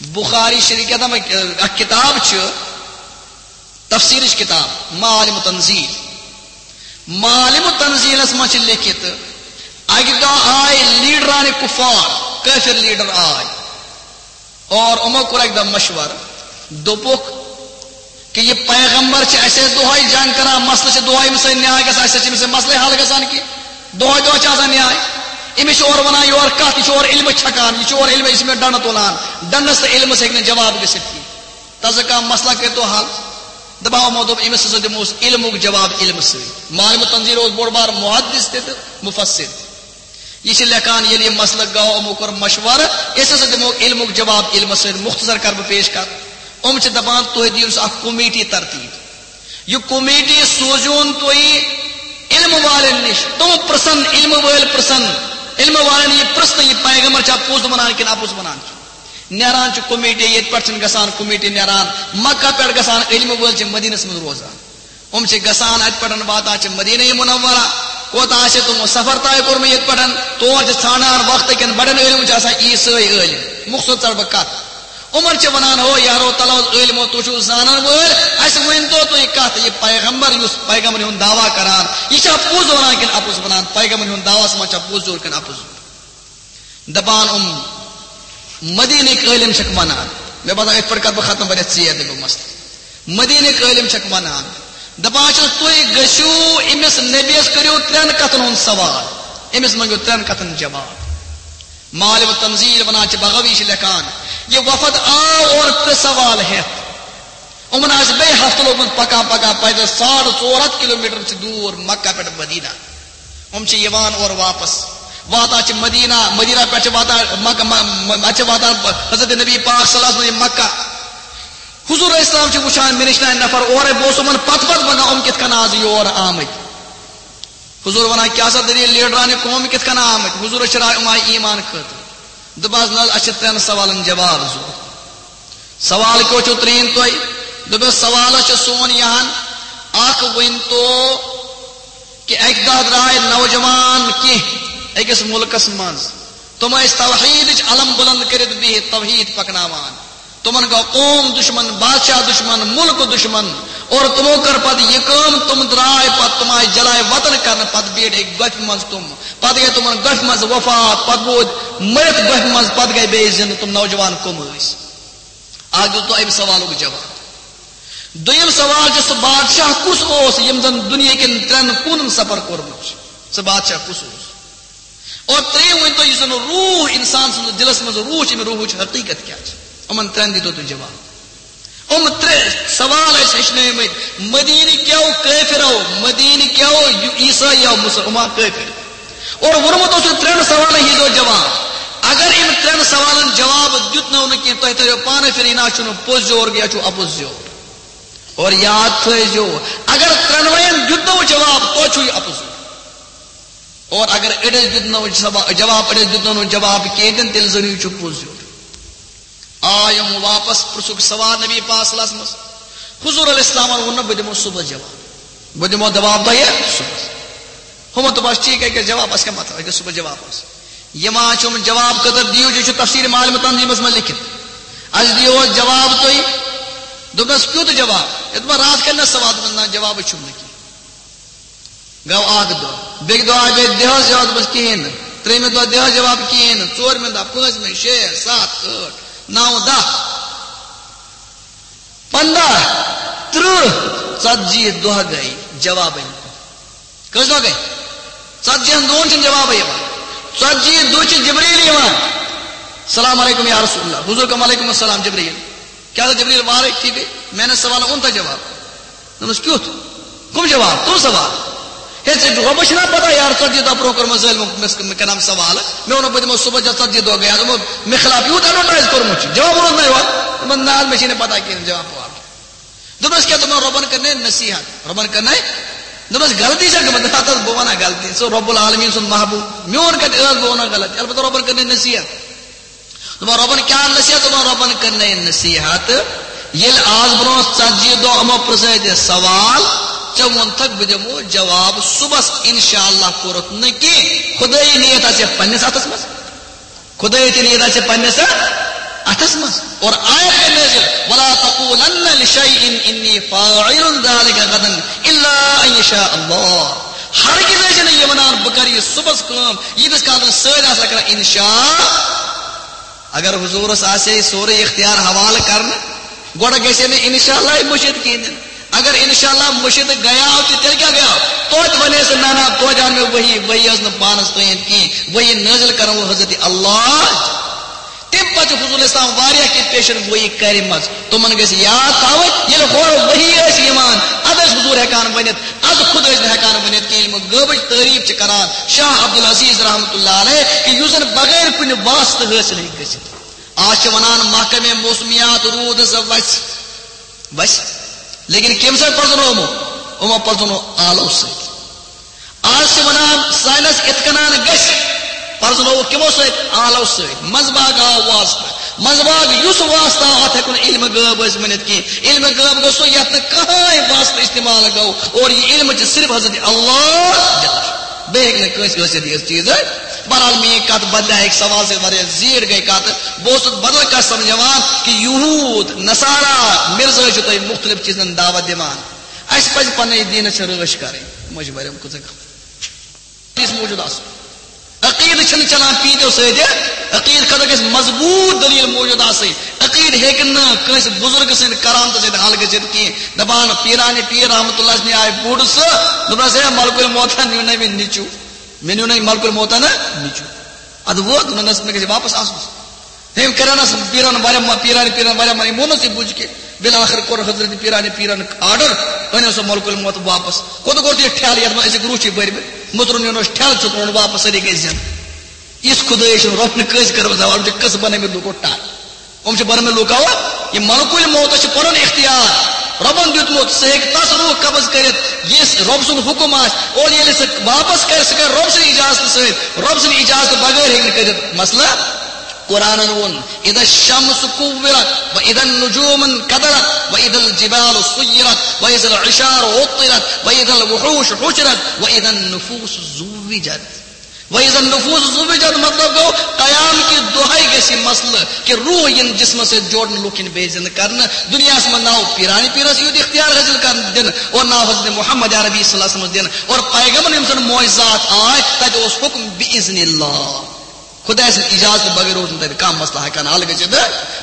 بخاری شریف کیٛاہ تام اکھ کتاب چھِ، تفسیرٕچ کتاب، معالم تنزیل۔ معالم تنزیلس منٛز چھِ لیکھِتھ، اکہِ دۄہ آے لیڈران کفار، کٲفِر لیڈر آے، اور یِمو کوٚر اکہِ دۄہ مشورٕ، دوٚپُکھ، کہ یہِ پیغمبر چھِ اَسہِ سۭتۍ دۄہے جنگ کران، مسلہٕ چھِ دۄہے أمِس سۭتۍ نیاے گژھان، اَسہِ سۭتۍ چھِ أمِس سۭتۍ مسلے حل گژھان کینٛہہ؟ دۄہے دۄہے چھِ آسان نیاے۔ أمِس چھِ اورٕ وَنان یورٕ کَتھ، یہِ چھُ اورٕ علمہٕ چھَکان، یہِ چھُ اورٕ علمہٕ، یہِ چھِ مےٚ ڈَنڈٕ تُلان، ڈَنڈَس تہٕ علمَس ہیٚکہِ نہٕ جواب گٔژھِتھ کینٛہہ۔ تَس کانٛہہ مسلہٕ کٔرۍ تو حل۔ دَپاو یِمو دوٚپ، أمِس ہسا دِموس علمُک جواب علمہٕ سۭتۍ۔ معلم تنزیل اوس بوٚڑ بار محدث تہِ تہٕ مفسر تہِ۔ یہِ چھِ لیکھان، ییٚلہِ یہِ مسلہٕ گوٚو، یِمو کوٚر مشورٕ، أسۍ ہسا دِمو علمُک جواب علمہٕ سۭتۍ۔ مختصر کر بہٕ پیش کر۔ یِم چھِ دپان، تُہۍ دِیِو سا اکھ کمیٹی ترتیب، یہِ کمیٹی سوزیون تُہۍ علم والٮ۪ن نِش، تِم پرٛژھن، علم وٲلۍ پرٛژھن، علم والٮ۪ن یہِ پرٛژھنہٕ، یہِ پیغمبر چھا پوٚز ونان کِنہٕ اپُز ونان چھُ۔ نیران چھِ کمیٹی، ییٚتہِ پٮ۪ٹھ چھِنہٕ گژھان کمیٹی نیران، مکہ پٮ۪ٹھ گژھان، علم وٲلۍ چھِ مدیٖنس منٛز روزان۔ یِم چھِ گژھان، اَتہِ پٮ۪ٹھ واتان چھِ مدیٖنہ منورہ۔ کوتاہ آسہِ تِمو سفر طے کوٚرمُت ییٚتہِ پٮ۪ٹھ، تور چھِ ژھانڈان وقتہٕ کٮ۪ن بڑٮ۪ن علم چھِ آسان عیسٲے عٲلم۔ مخصوص ژَٹہٕ بہٕ کَتھ۔ یِمَن چھِ وَنان، ہو یارو، تَلہٕ حظ عٲلمو، تُہۍ چھِو زانَن وٲلۍ، اَسہِ ؤنۍ تو تُہۍ کَتھ، یہِ پیغمبر، یُس پیغمبر ہُنٛد دعویٰ کران، یہِ چھا پوٚز وَنان کِنہٕ اَپُز وَنان؟ پیغمبر ہُنٛد دعویٰ منٛز چھا پوٚز یور کِنہٕ اَپُز یور؟ دَپان یِم مدیٖنٕکۍ عٲلم چھِکھ وَنان، مےٚ باسان، أتھۍ پٮ۪ٹھ کَرٕ بہٕ ختم، واریاہ ژیر دِمہٕ بہٕ مسلہٕ۔ مدیٖنٕکۍ عٲلم چھِکھ وَنان، دَپان چھِس، تُہۍ گٔژھِو أمِس نبیَس، کٔرِو ترٛٮ۪ن کَتھَن ہُنٛد سوال، أمِس مٔنٛگِو ترٛٮ۪ن کَتھَن جواب۔ معالم التنزیل وَنان چھِ، بغوی چھِ لیکھان، یہِ وفد آو اورٕ ترٛےٚ سوال ہٮ۪تھ۔ یِمَن آسہِ بیٚیہِ ہفتہٕ لوٚگمُت پَکان پَکان، پیدل ساڑ ژور ہَتھ کِلوٗ میٖٹر چھِ دوٗر مکہ پٮ۪ٹھ مدیٖنہ۔ یِم چھِ یِوان اورٕ واپس، واتان چھِ مدیٖنہ، مدیٖنہ پٮ۪ٹھ چھِ واتان مکہ، م-، م-، اَتہِ چھِ واتان حضرت نبی پاک صلی اللہ علیہ وسلم مکہ۔ حضور علیہ السلام چھِ وٕچھان، مےٚ نِش نہ نفر اورَے، بہٕ اوسُس یِمَن پتہٕ پتہٕ منٛگان، یِم کِتھ کٔنۍ آز یور آمٕتۍ۔ حضور وَنان، کیٛاہ سا دٔلیٖل، لیڈرانہِ قوم کِتھ کٔنۍ آمٕتۍ؟ حضورَس چھِ راے، یِم آیہِ ایمان خٲطرٕ۔ دوٚپہَس، نہ حظ، اَسہِ چھِ ترٛٮ۪ن سوالَن جواب ضوٚرَتھ۔ سوال کیٛاہ چھُو ترٛیٚیِم تۄہہِ؟ دوٚپمَس، سوال حظ چھُ سون یہِ ہَن، اَکھ ؤنۍ تو کہِ اَکہِ دۄہ درٛاے نوجوان کینٛہہ أکِس مُلکَس منٛز، تِم ٲسۍ توحیٖدٕچ علم بُلنٛد کٔرِتھ بِہِتھ، توحیٖد پَکناوان۔ تِمَن گوٚو قوم دُشمَن، بادشاہ دُشمَن، مُلک دُشمَن، اور تِمو کٔر پَتہٕ یہِ کٲم، تِم درٛاے پَتہٕ، تِم آیہِ جلاے وطن کَرنہٕ، پَتہٕ بیٖٹھۍ أکۍ گۄپھِ منٛز تِم، پَتہٕ گٔے تِمَن گۄپھِ منٛز وفات، پَتہٕ روٗدۍ مٔرِتھ گۄپھِ منٛز، پَتہٕ گٔے بیٚیہِ زِنٛدٕ، تِم نوجوان کٕم ٲسۍ؟ اَکھ دیُت تۄہہِ اَمہِ سوالُک جواب۔ دوٚیِم سوال چھُ، سُہ بادشاہ کُس اوس ییٚمۍ زَن دُنیاہِکٮ۪ن ترٛٮ۪ن کوٗنَن سفر کوٚرمُت چھُ؟ سُہ بادشاہ کُس اوس؟ اور ترٛیٚیِم ؤنۍ تو، یُس زَن روح اِنسان سٕنٛدِس دِلَس منٛز روح چھِ، أمۍ روحٕچ حقیٖقت کیٛاہ چھِ؟ یِمَن ترٛٮ۪ن دیٖتو تُہۍ جواب۔ یِم ترٛےٚ سوال ٲسۍ ہیٚچھنٲومٕتۍ مدیٖنہٕ کیو کٲفرو، مدیٖنہٕ کیو عیسٲیو، مُسلمان کٲفر۔ اور ووٚنمُت اوس یہِ ترٛٮ۪ن سوالن ہیٚتو جواب۔ اگر أمۍ ترٛٮ۪ن سوالن جواب دیُت نہٕ کینٛہہ، تۄہہِ تٔرِو پانہٕ فِکرِ، یہِ نہ چھُنہٕ پوٚز یور، یہِ چھُ اَپُز یور۔ اور یاد تھٲیزیو، اگر ترٛٮ۪نوَین دیُت نہٕ جواب، توتہِ چھُ یہِ اَپُز یور۔ اور اگر أڑِس دیُت نہٕ جواب، أڑِس دیُت نہٕ جواب کینٛہہ تہِ، تیٚلہِ زٲنِو، یہِ چھُ پوٚز یور۔ آ، یِم واپس پرٛژھُکھ سوال نبی پاک صلی اللہ علیہ وسلمس۔ حضور علیہ السلامن ووٚن نہٕ، بہٕ دِمو صُبحس جواب، بہٕ دِمو جواب تۄہہِ صُبحس۔ ہُمو دوٚپُس، ٹھیٖک، أکِس جواب، اَسہِ کیٛاہ مطلب، أکِس صُبحس جواب اوس۔ یِوان چھُ یِمن جواب خٲطرٕ دِیِو، یہِ چھُ تفسیر معالم تنظیٖمس منٛز لیکھِتھ۔ اَسہِ دِیو جواب تُہۍ۔ دوٚپنس، کیُتھ جواب؟ ہے، دوٚپُن، راتھ کَرِ نہ سوال؟ دوٚپُن، نہ، جوابٕے چھُم نہٕ کینٛہہ۔ گوٚو اکھ دۄہ، بیٚکہِ دۄہ آے بیٚیہِ، دِ حظ جواب، دوٚپُس، کِہیٖنۍ نہٕ۔ ترٛیٚیِمہِ دۄہ، دِ حظ جواب، کِہیٖنۍ نہٕ۔ ژوٗرمہِ دۄہ، پٲنٛژمہِ، شےٚ، ستھ، ٲٹھ، نو، دَہ، پنٛداہ، تٕرٛہ، ژتجی دۄہ گٔے، جوابٕے نہٕ۔ کٔژ دۄہ گٔے؟ ژتجی ہن دۄہن چھِنہٕ جوابٕے یِوان۔ ژتجی دۄہ چھِ جبریٖل یِوان۔ السلام علیکم یا رسول اللہ۔ حضور کم علیکم السلام جبریٖل۔ کیٛاہ سا جبریٖل، وارے ٹھیٖک گٔے؟ میانٮ۪ن سوالن اوٚن تۄہہِ جواب؟ دوٚپمَس، کیُتھ؟ کٕم جواب؟ کٕم سوال؟ ہے، ژےٚ چھُ رۄبَس چھِنہ پَتہ یارٕ، ژَتجی دۄہ برونٛہہ کوٚر مےٚ ظٲلمو، مےٚ، مےٚ کَنام سوال۔ مےٚ ووٚنُکھ، بہٕ دِمو صُبحَس ژےٚ ژَتجی دۄہ گٔیے۔ دوٚپمو، مےٚ خلاف یوٗت advertise کوٚرمُت چھُ، جواب ووٚنُتھ نہ یورٕ۔ دوٚپمَس، نہ حظ، مےٚ چھے نہٕ پَتہ کِہیٖنۍ جواب وواب۔ دوٚپمَس، کیٛاہ؟ دوٚپمَن، رۄبَن کٔر نَے نصیٖحت۔ رۄبَن کٔر نَے؟ دوٚپمَس، غلطی چھےٚ گٔمٕژ؟ دوٚپمَس، ہَتہٕ حظ بہٕ وَنہٕ ہا غلطی۔ سُہ رۄب العالمیٖن سُنٛد محبوٗب، میون کَتہِ ٲس بہٕ وَنہٕ ہا غلطی؟ البتہ رۄبَن کٔر نَے نصیٖحت۔ دوٚپُن، رۄبن کیٛاہ نصیحت؟ دوٚپُن، رۄبن کٔر نَے نصیحت۔ ییٚلہِ آز برونٛہہ ژتجی دۄہ یِمو پرٛژھٲے ژےٚ سوال، ژےٚ ووٚنتھکھ بہٕ دِمو جواب صُبحس، انشاءاللہ کوٚرُتھ نہٕ کینٛہہ۔ خدٲیی نیت آسہِ پننِس اتھس منٛز۔ خدٲیی تہِ نیت آسہِ پننِس اتھس منٛز۔ اور آیت گٔے نٲزِل، "ولا تقولن لشیء انی فاعل ذلک غدا الا ان یشاء اللہ۔" ہرگز ٲسۍ نہٕ یہِ ونان، بہٕ کرٕ یہِ صُبحس کٲم، ییٖتِس کالس نہٕ سٲلۍ آسن کران انشاء۔ اگر حضورس آسہِ ہے سورُے اختیار حوالہٕ کرنہٕ، گۄڈٕ گژھِ ہے نہٕ انشاءاللہ مٔشِتھ کِہیٖنۍ۔ اگر انشاءاللہ مٔشِتھ گٔیاو تہِ، تیٚلہِ کیٛاہ گٔیاو؟ توتہِ ونے سُہ، نہ، نہ، توتہِ آو مےٚ وحی، وحی ٲس نہٕ پانس تام کِہیٖنۍ، وحی نٲزِل کرن وول حضرت اللہ۔ تمہِ پتہٕ چھُ حضور اسلام واریاہ کینٛہہ پیشن گویی کرِمژ، تِمن گژھِ یاد تھاوٕنۍ، ییٚلہِ ہورٕ وحی ٲسۍ یِوان، ادٕ ٲسۍ حضور ہٮ۪کان ؤنِتھ، از خود ٲسۍ نہٕ ہٮ۪کان ؤنِتھ کینٛہہ۔ ییٚلہِ یِم غٲبٕچ تعریٖف چھِ کران شاہ عبدالعزیز رحمتہ اللہ علیہ، کہِ یُس زن بغیر کُنہِ واسطہٕ حٲصِل ہیٚکہِ گٔژھِتھ۔ آز چھِ ونان محکمے موسمیات روٗد ہسا وسہِ، وسہِ۔ لیکن کٔمۍ سۭتۍ پرزنومُت؟ یِمو پرزنوو آلو سۭتۍ۔ آز چھِ وَنان ساینس یِتھ کٔنۍ گژھِ، پرزنووُکھ کِمو سۭتۍ؟ آلو سۭتۍ۔ منٛزٕ باگ آو واسطہٕ، منٛزٕ باگ یُس واسطہٕ آو، اَتھ ہٮ۪کو نہٕ علم غٲب أسۍ ؤنِتھ کِہیٖنۍ۔ علم غٲب گوٚو سُہ یَتھ نہٕ کٕہٕنۍ واسطہٕ استعمال گوٚو، اور یہِ علم چھِ صرف حضرت اللہ دِلان۔ بیٚیہِ ہیٚکہِ نہٕ کٲنٛسہِ ٲسِتھ یہِ چیٖز۔ بہرحال، میٛٲنۍ کتھ بدلے، اکہِ سوال سۭتۍ واریاہ زیٖٹھ گٔے کتھ۔ بہٕ اوسُس بدل کتھ سمجھاوان کہِ یہوٗد، نصارا، مرزٲے چھِ تۄہہِ مُختلف چیٖزن دعوت دِوان۔ اسہِ پزِ پننہِ دیٖنس سۭتۍ رٲچھ کرٕنۍ۔ مٔنٛزۍ واریاہ کۭژاہ کتھ۔ یُس موجود آسُن۔ عقیدٕ چھُنہٕ چلان پیٖنتیو سۭتۍ۔ عقیدٕ خٲطرٕ گژھِ مضبوٗط دٔلیٖل موجود آسٕنۍ۔ عقیدٕ ہیٚکہِ نہٕ کٲنٛسہِ بُزرگہٕ سٕنٛدِ کرامتہٕ سۭتۍ حل گٔژھِتھ کینٛہہ۔ دپان پیٖرانہِ پیٖر رحمتہ اللہ نِش آیہِ بوٚڑ سُہ، دوٚپنس، "ہے، ملکُل موتن نیوٗ نہ مےٚ نیٚچوٗ، مےٚ نیوٗ نہ ملکُل موتن نیٚچوٗ۔" ادٕ ووت، دوٚپنس، "مےٚ گژھِ واپس آسُن۔" تٔمۍ کریٛاونس پیٖرن واریاہ ما-، پیٖرانہِ پیٖرن واریاہ منی، مونُس یہِ بُزرگہِ۔ بالآخر کوٚر حضرت پیٖرانہِ پیٖرن آرڈر، أنِو سا ملکُل موت واپس۔ کوٚت کوٚر یہِ ٹھیلہٕ یتھ منٛز أزِکۍ روٗح چھِ بٔرمٕتۍ؟ مُترُن یونس ٹھیلہٕ ژھُن، روٚن واپس، سٲری گٔے زِندٕ۔ یِژھ خۄدٲے چھُنہٕ رۄب نہٕ کٲنٛسہِ کٔرمٕژ، دپان چھِ قٕصہٕ بنٲومٕتۍ لُکو ٹر۔ یِم چھِ بنٲومٕتۍ لُکو، یہِ ملکُل موتس چھُ پنُن اختیار۔ رۄبن دیُتمُت، سُہ ہیٚکہِ تس روح قبض کٔرِتھ، یُس رۄب سُنٛد حُکم آسہِ۔ اور ییٚلہِ سُہ واپس کرِ، سُہ کرِ رۄب سٕنٛدِ اجازتہٕ سۭتۍ۔ رۄب سٕنٛدِ اجازتہٕ بغٲر ہیٚکہِ نہٕ کٔرِتھ۔ مثلاً، قرآنن ووٚن، "اذا الشمس كورت، واذا النجوم انكدرت، واذا الجبال سيرت، واذا العشار عطلت، واذا الوحوش حشرت، واذا النفوس زوجت۔" واذا النفوس زوجت مطلب گوٚو، قیام کہِ دۄہے گژھِ یہِ مسلہٕ کہِ روح یِن جسمس سۭتۍ جوڑنہٕ، لوٗکھ یِن بیٚیہِ زندٕ کرنہٕ۔ دُنیاہس منٛز ناو پیٖرانہِ پیٖرس یوت اختیار حٲصِل کرنہٕ دِنہٕ، اور ناو حضرت محمد عربی صلی اللہ علیہ وسلمس دِنہٕ، اور پیغمبر یِم زن معجزات آے، تتہِ اوس حکم باذن اللہ۔ خدایہِ سٕنٛدِ اجازتہٕ بغٲر اوس نہٕ تتہِ کانٛہہ مسلہٕ ہٮ۪کان حل گٔژھِتھ۔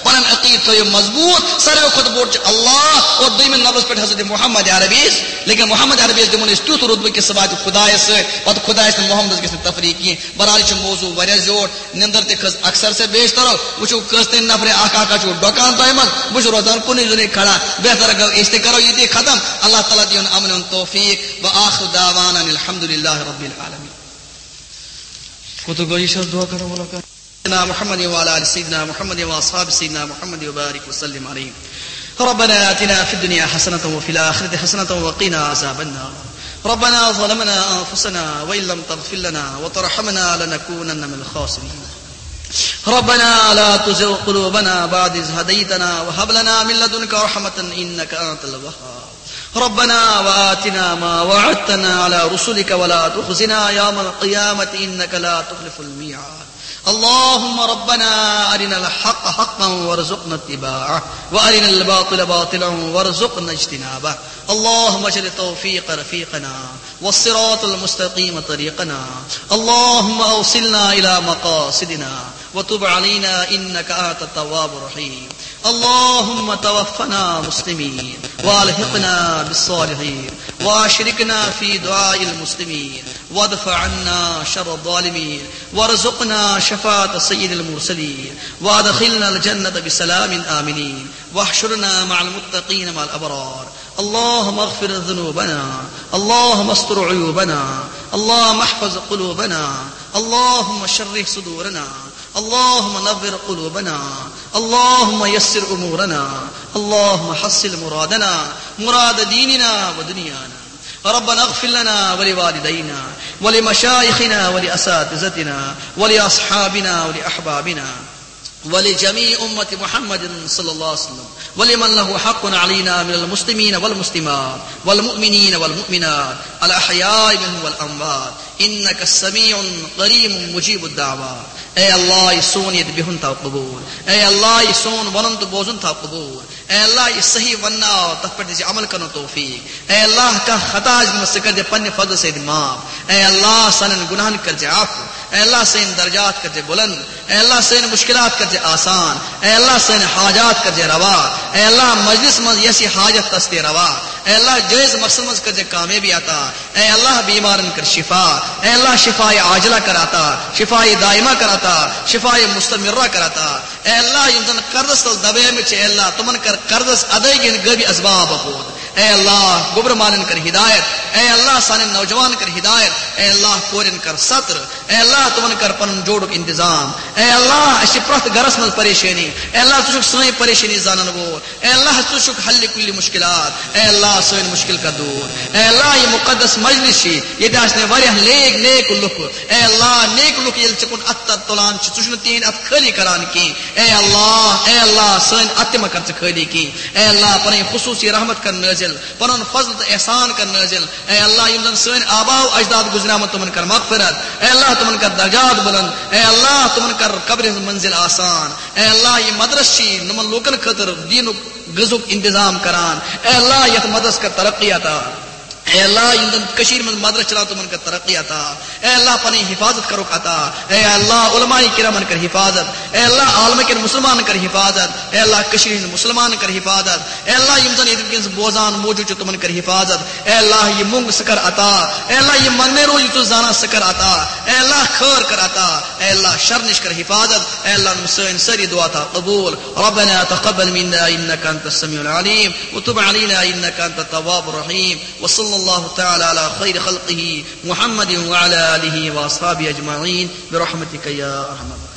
پنُن عقیدٕ تھٲیِو مضبوٗط۔ ساروٕے کھۄتہٕ بوٚڑ چھُ اللہ اور دوٚیمِس نمبرس پٮ۪ٹھ حضرت محمد عربی۔ لیکن محمد عربی یس دِمو نہٕ أسۍ تیُتھ رُتبہٕ کہِ سُہ واتہِ خدایس سۭتۍ، پتہٕ خدایس تہٕ محمدس گژھِ نہٕ تفریق کینٛہہ۔ بہرحال، یہِ چھُ موضوع واریاہ زیوٗٹھ، نِندٕر تہِ کھٔژ اکثر سے بیشترو۔ وٕچھِو، کٔژ تام نفرِ اکھ اکھ چھُ ڈۄکان تۄہہِ منٛز، بہٕ چھُس روزان کُنُے زوٚنٕے کھڑا۔ بہتر گوٚو أسۍ تہِ کرو یہِ تہِ ختم۔ اللہ تعالیٰ دِیِن امن و توفیق۔ و آخر دعوانا ان الحمد للہ رب العالمین۔ کوٚت گوٚو یہِ چھا دعا کرن وول کانٛہہ؟ سيدنا محمد وعلى آل سيدنا محمد وأصحاب سيدنا محمد وبارك وسلم عليه۔ ربنا آتنا في الدنيا حسنة وفي الآخرة حسنة وقنا عذاب النار۔ ربنا ظلمنا أنفسنا وإن لم تغفر لنا وترحمنا لنكونن من الخاسرين۔ ربنا لا تزغ قلوبنا بعد إذ هديتنا وهب لنا من لدنك رحمة إنك أنت الوهاب۔ ربنا وآتنا ما وعدتنا على رسلك ولا تخزنا يوم القيامة إنك لا تخلف الميعاد۔ اللهم ربنا أرنا الحق حقا وارزقنا اتباعه، وأرنا الباطل باطلا وارزقنا اجتنابه۔ اللهم اجعل التوفيق رفيقنا، والصراط المستقيم طريقنا۔ اللهم أوصلنا إلى مقاصدنا، وتب علينا إنك أنت التواب الرحيم۔ اللهم توفنا مسلمين، وألحقنا بالصالحين، وأشركنا في دعاء المسلمين، وادفع عنا شر الظالمين، وارزقنا شفاعة سيد المرسلين، وأدخلنا الجنة بسلام آمنين، واحشرنا مع المتقين مع الأبرار۔ اللهم اغفر ذنوبنا، اللهم استر عيوبنا، اللهم احفظ قلوبنا، اللهم شرح صدورنا، اللهم نور قلوبنا، اللهم يسر أمورنا، اللهم حصل مرادنا، مراد ديننا ودنيانا۔ ربنا اغفر لنا ولوالدينا ولمشايخنا ولأساتذتنا ولأصحابنا ولأحبابنا ولجميع أمة محمد صلى الله عليه وسلم، ولمن له حق علينا من المسلمين والمسلمات والمؤمنين والمؤمنات الأحياء منهم والأموات، إنك سميع قريب مجيب الدعوات۔ اے اللہ، یہِ سون ییٚتہِ بِہُن تھاو قبوٗل۔ اے اللہ، یہِ سون وَنُن تہٕ بوزُن تھاو قبوٗل۔ اے اللہ، یہِ صحیح وننہٕ آو، تتھ پٮ۪ٹھ دِژ عمل کرنُک توفیق۔ اے اللہ، کانٛہہ خطا آسہِ گوٚمُت، سُہ کٔرۍزِ پننہِ فضلہٕ سۭتۍ معاف۔ اے اللہ، سانٮ۪ن گناہن کٔرۍزِ عفو۔ اے اللہ، سٲنۍ درجات کٔرۍزِ بلند۔ اے اللہ، سٲنۍ مشکلات کٔرۍزِ آسان۔ اے اللہ، سٲنۍ حاجات کٔرۍزِ روا۔ اے اللہ، مجلس منٛز یۄس یہِ حاجت، تس تہِ روا۔ اے اللہ، جٲیز مقصد منٛز کٔرۍزِ کامیٲبی عطا۔ اے اللہ، بیمارن کر شفا۔ اے اللہ، شفاء عاجلہ کر عطا، شفاء دائمہ کر عطا، شفاء مستمرہ کر عطا۔ اے اللہ، یِم زن قرضس تل دبیمٕتۍ چھِ، اے اللہ، تِمن کر قرضس ادٲیگی ہٕنٛدۍ غٲبی اسباب پٲدٕ۔ اے اللہ، گوٚبرٕ مالٮ۪ن کر ہدایت۔ اے اللہ، سانٮ۪ن نوجوانن کر ہدایت۔ اے اللہ، کورٮ۪ن کر ستر۔ اے اللہ، تِمن کر پنُن جوڑُک انتظام۔ اے اللہ، اَسہِ چھِ پرٛٮ۪تھ گرس منٛز پریشٲنی۔ اے اللہ، ژٕ چھُکھ سٲنۍ پریشٲنی زانن وول۔ اے اللہ، ژٕ چھُکھ حل کُلہِ مشکلات۔ اے اللہ، سٲنۍ مشکل کر دوٗر۔ اے اللہ، یہِ مُقدس مجلس چھِ، ییٚتہِ آسہِ مےٚ واریاہ نیک، نیک لُکھ۔ اے اللہ، نیک لُکھ ییٚلہِ ژےٚ کُن اتھٕ تُلان چھِ، ژٕ چھُکھ نہٕ تِہِنٛدۍ اتھٕ خٲلی کران کینٛہہ۔ اے اللہ، اے اللہ، سٲنۍ اتھٕ تہِ مہ کر ژٕ خٲلی کینٛہہ۔ اے اللہ، پنٕنۍ خصوٗصی رحمت کر نٲزِل، پنُن فضل تہٕ احسان کر نٲزِل۔ اے اللہ، یِم زن سٲنۍ آبا و اجداد گُزریمٕتۍ، تِمن کر مغفرت۔ اے اللہ، تِمن کر درجات بُلند۔ اے اللہ، تِمن کر قبرِ ہٕنٛز منزل آسان۔ اے اللہ، یہِ مدرسہٕ چھِ یِمن لوٗکن خٲطرٕ دیٖنُک غذہُک انتظام کران۔ اے اللہ، یتھ مدرسہٕ کر ترقی عطا۔ اے اللہ، یِم زن کٔشیٖرِ منٛز مدرسہٕ چلاوان، تِمن کر ترقی عطا۔ اے اللہ، پنٕنۍ حفاظت کرُکھ عطا۔ اے اللہ، علماء کرامن کر حفاظت۔ اے اللہ، عالمہٕ کٮ۪ن مسلمانن کر حفاظت۔ اے اللہ، کٔشیٖرِ ہٕنٛدۍ مسلمانن کر حفاظت۔ اے اللہ، یِم زن ییٚتہِ وٕنکیٚنس بوزان موجود چھِ، تِمن کر حفاظت۔ اے اللہ، یہِ موٚنگ سُہ کر عطا۔ اے اللہ، یہِ منگنے روز یُس ژٕ زانان، سُہ کر عطا۔ اے اللہ، خٲر کر عطا۔ اے اللہ، شر نِش کر حفاظت۔ اے اللہ، یِم سٲنۍ سٲری دعا تھاو قبول۔ ربنا تقبل منا إنك أنت السميع العليم وتب علينا إنك أنت التواب الرحيم۔ وصلى الله تعالى على خير خلقه محمد وعلى آله وأصحابه أجمعين برحمتك يا أرحم الراحمين.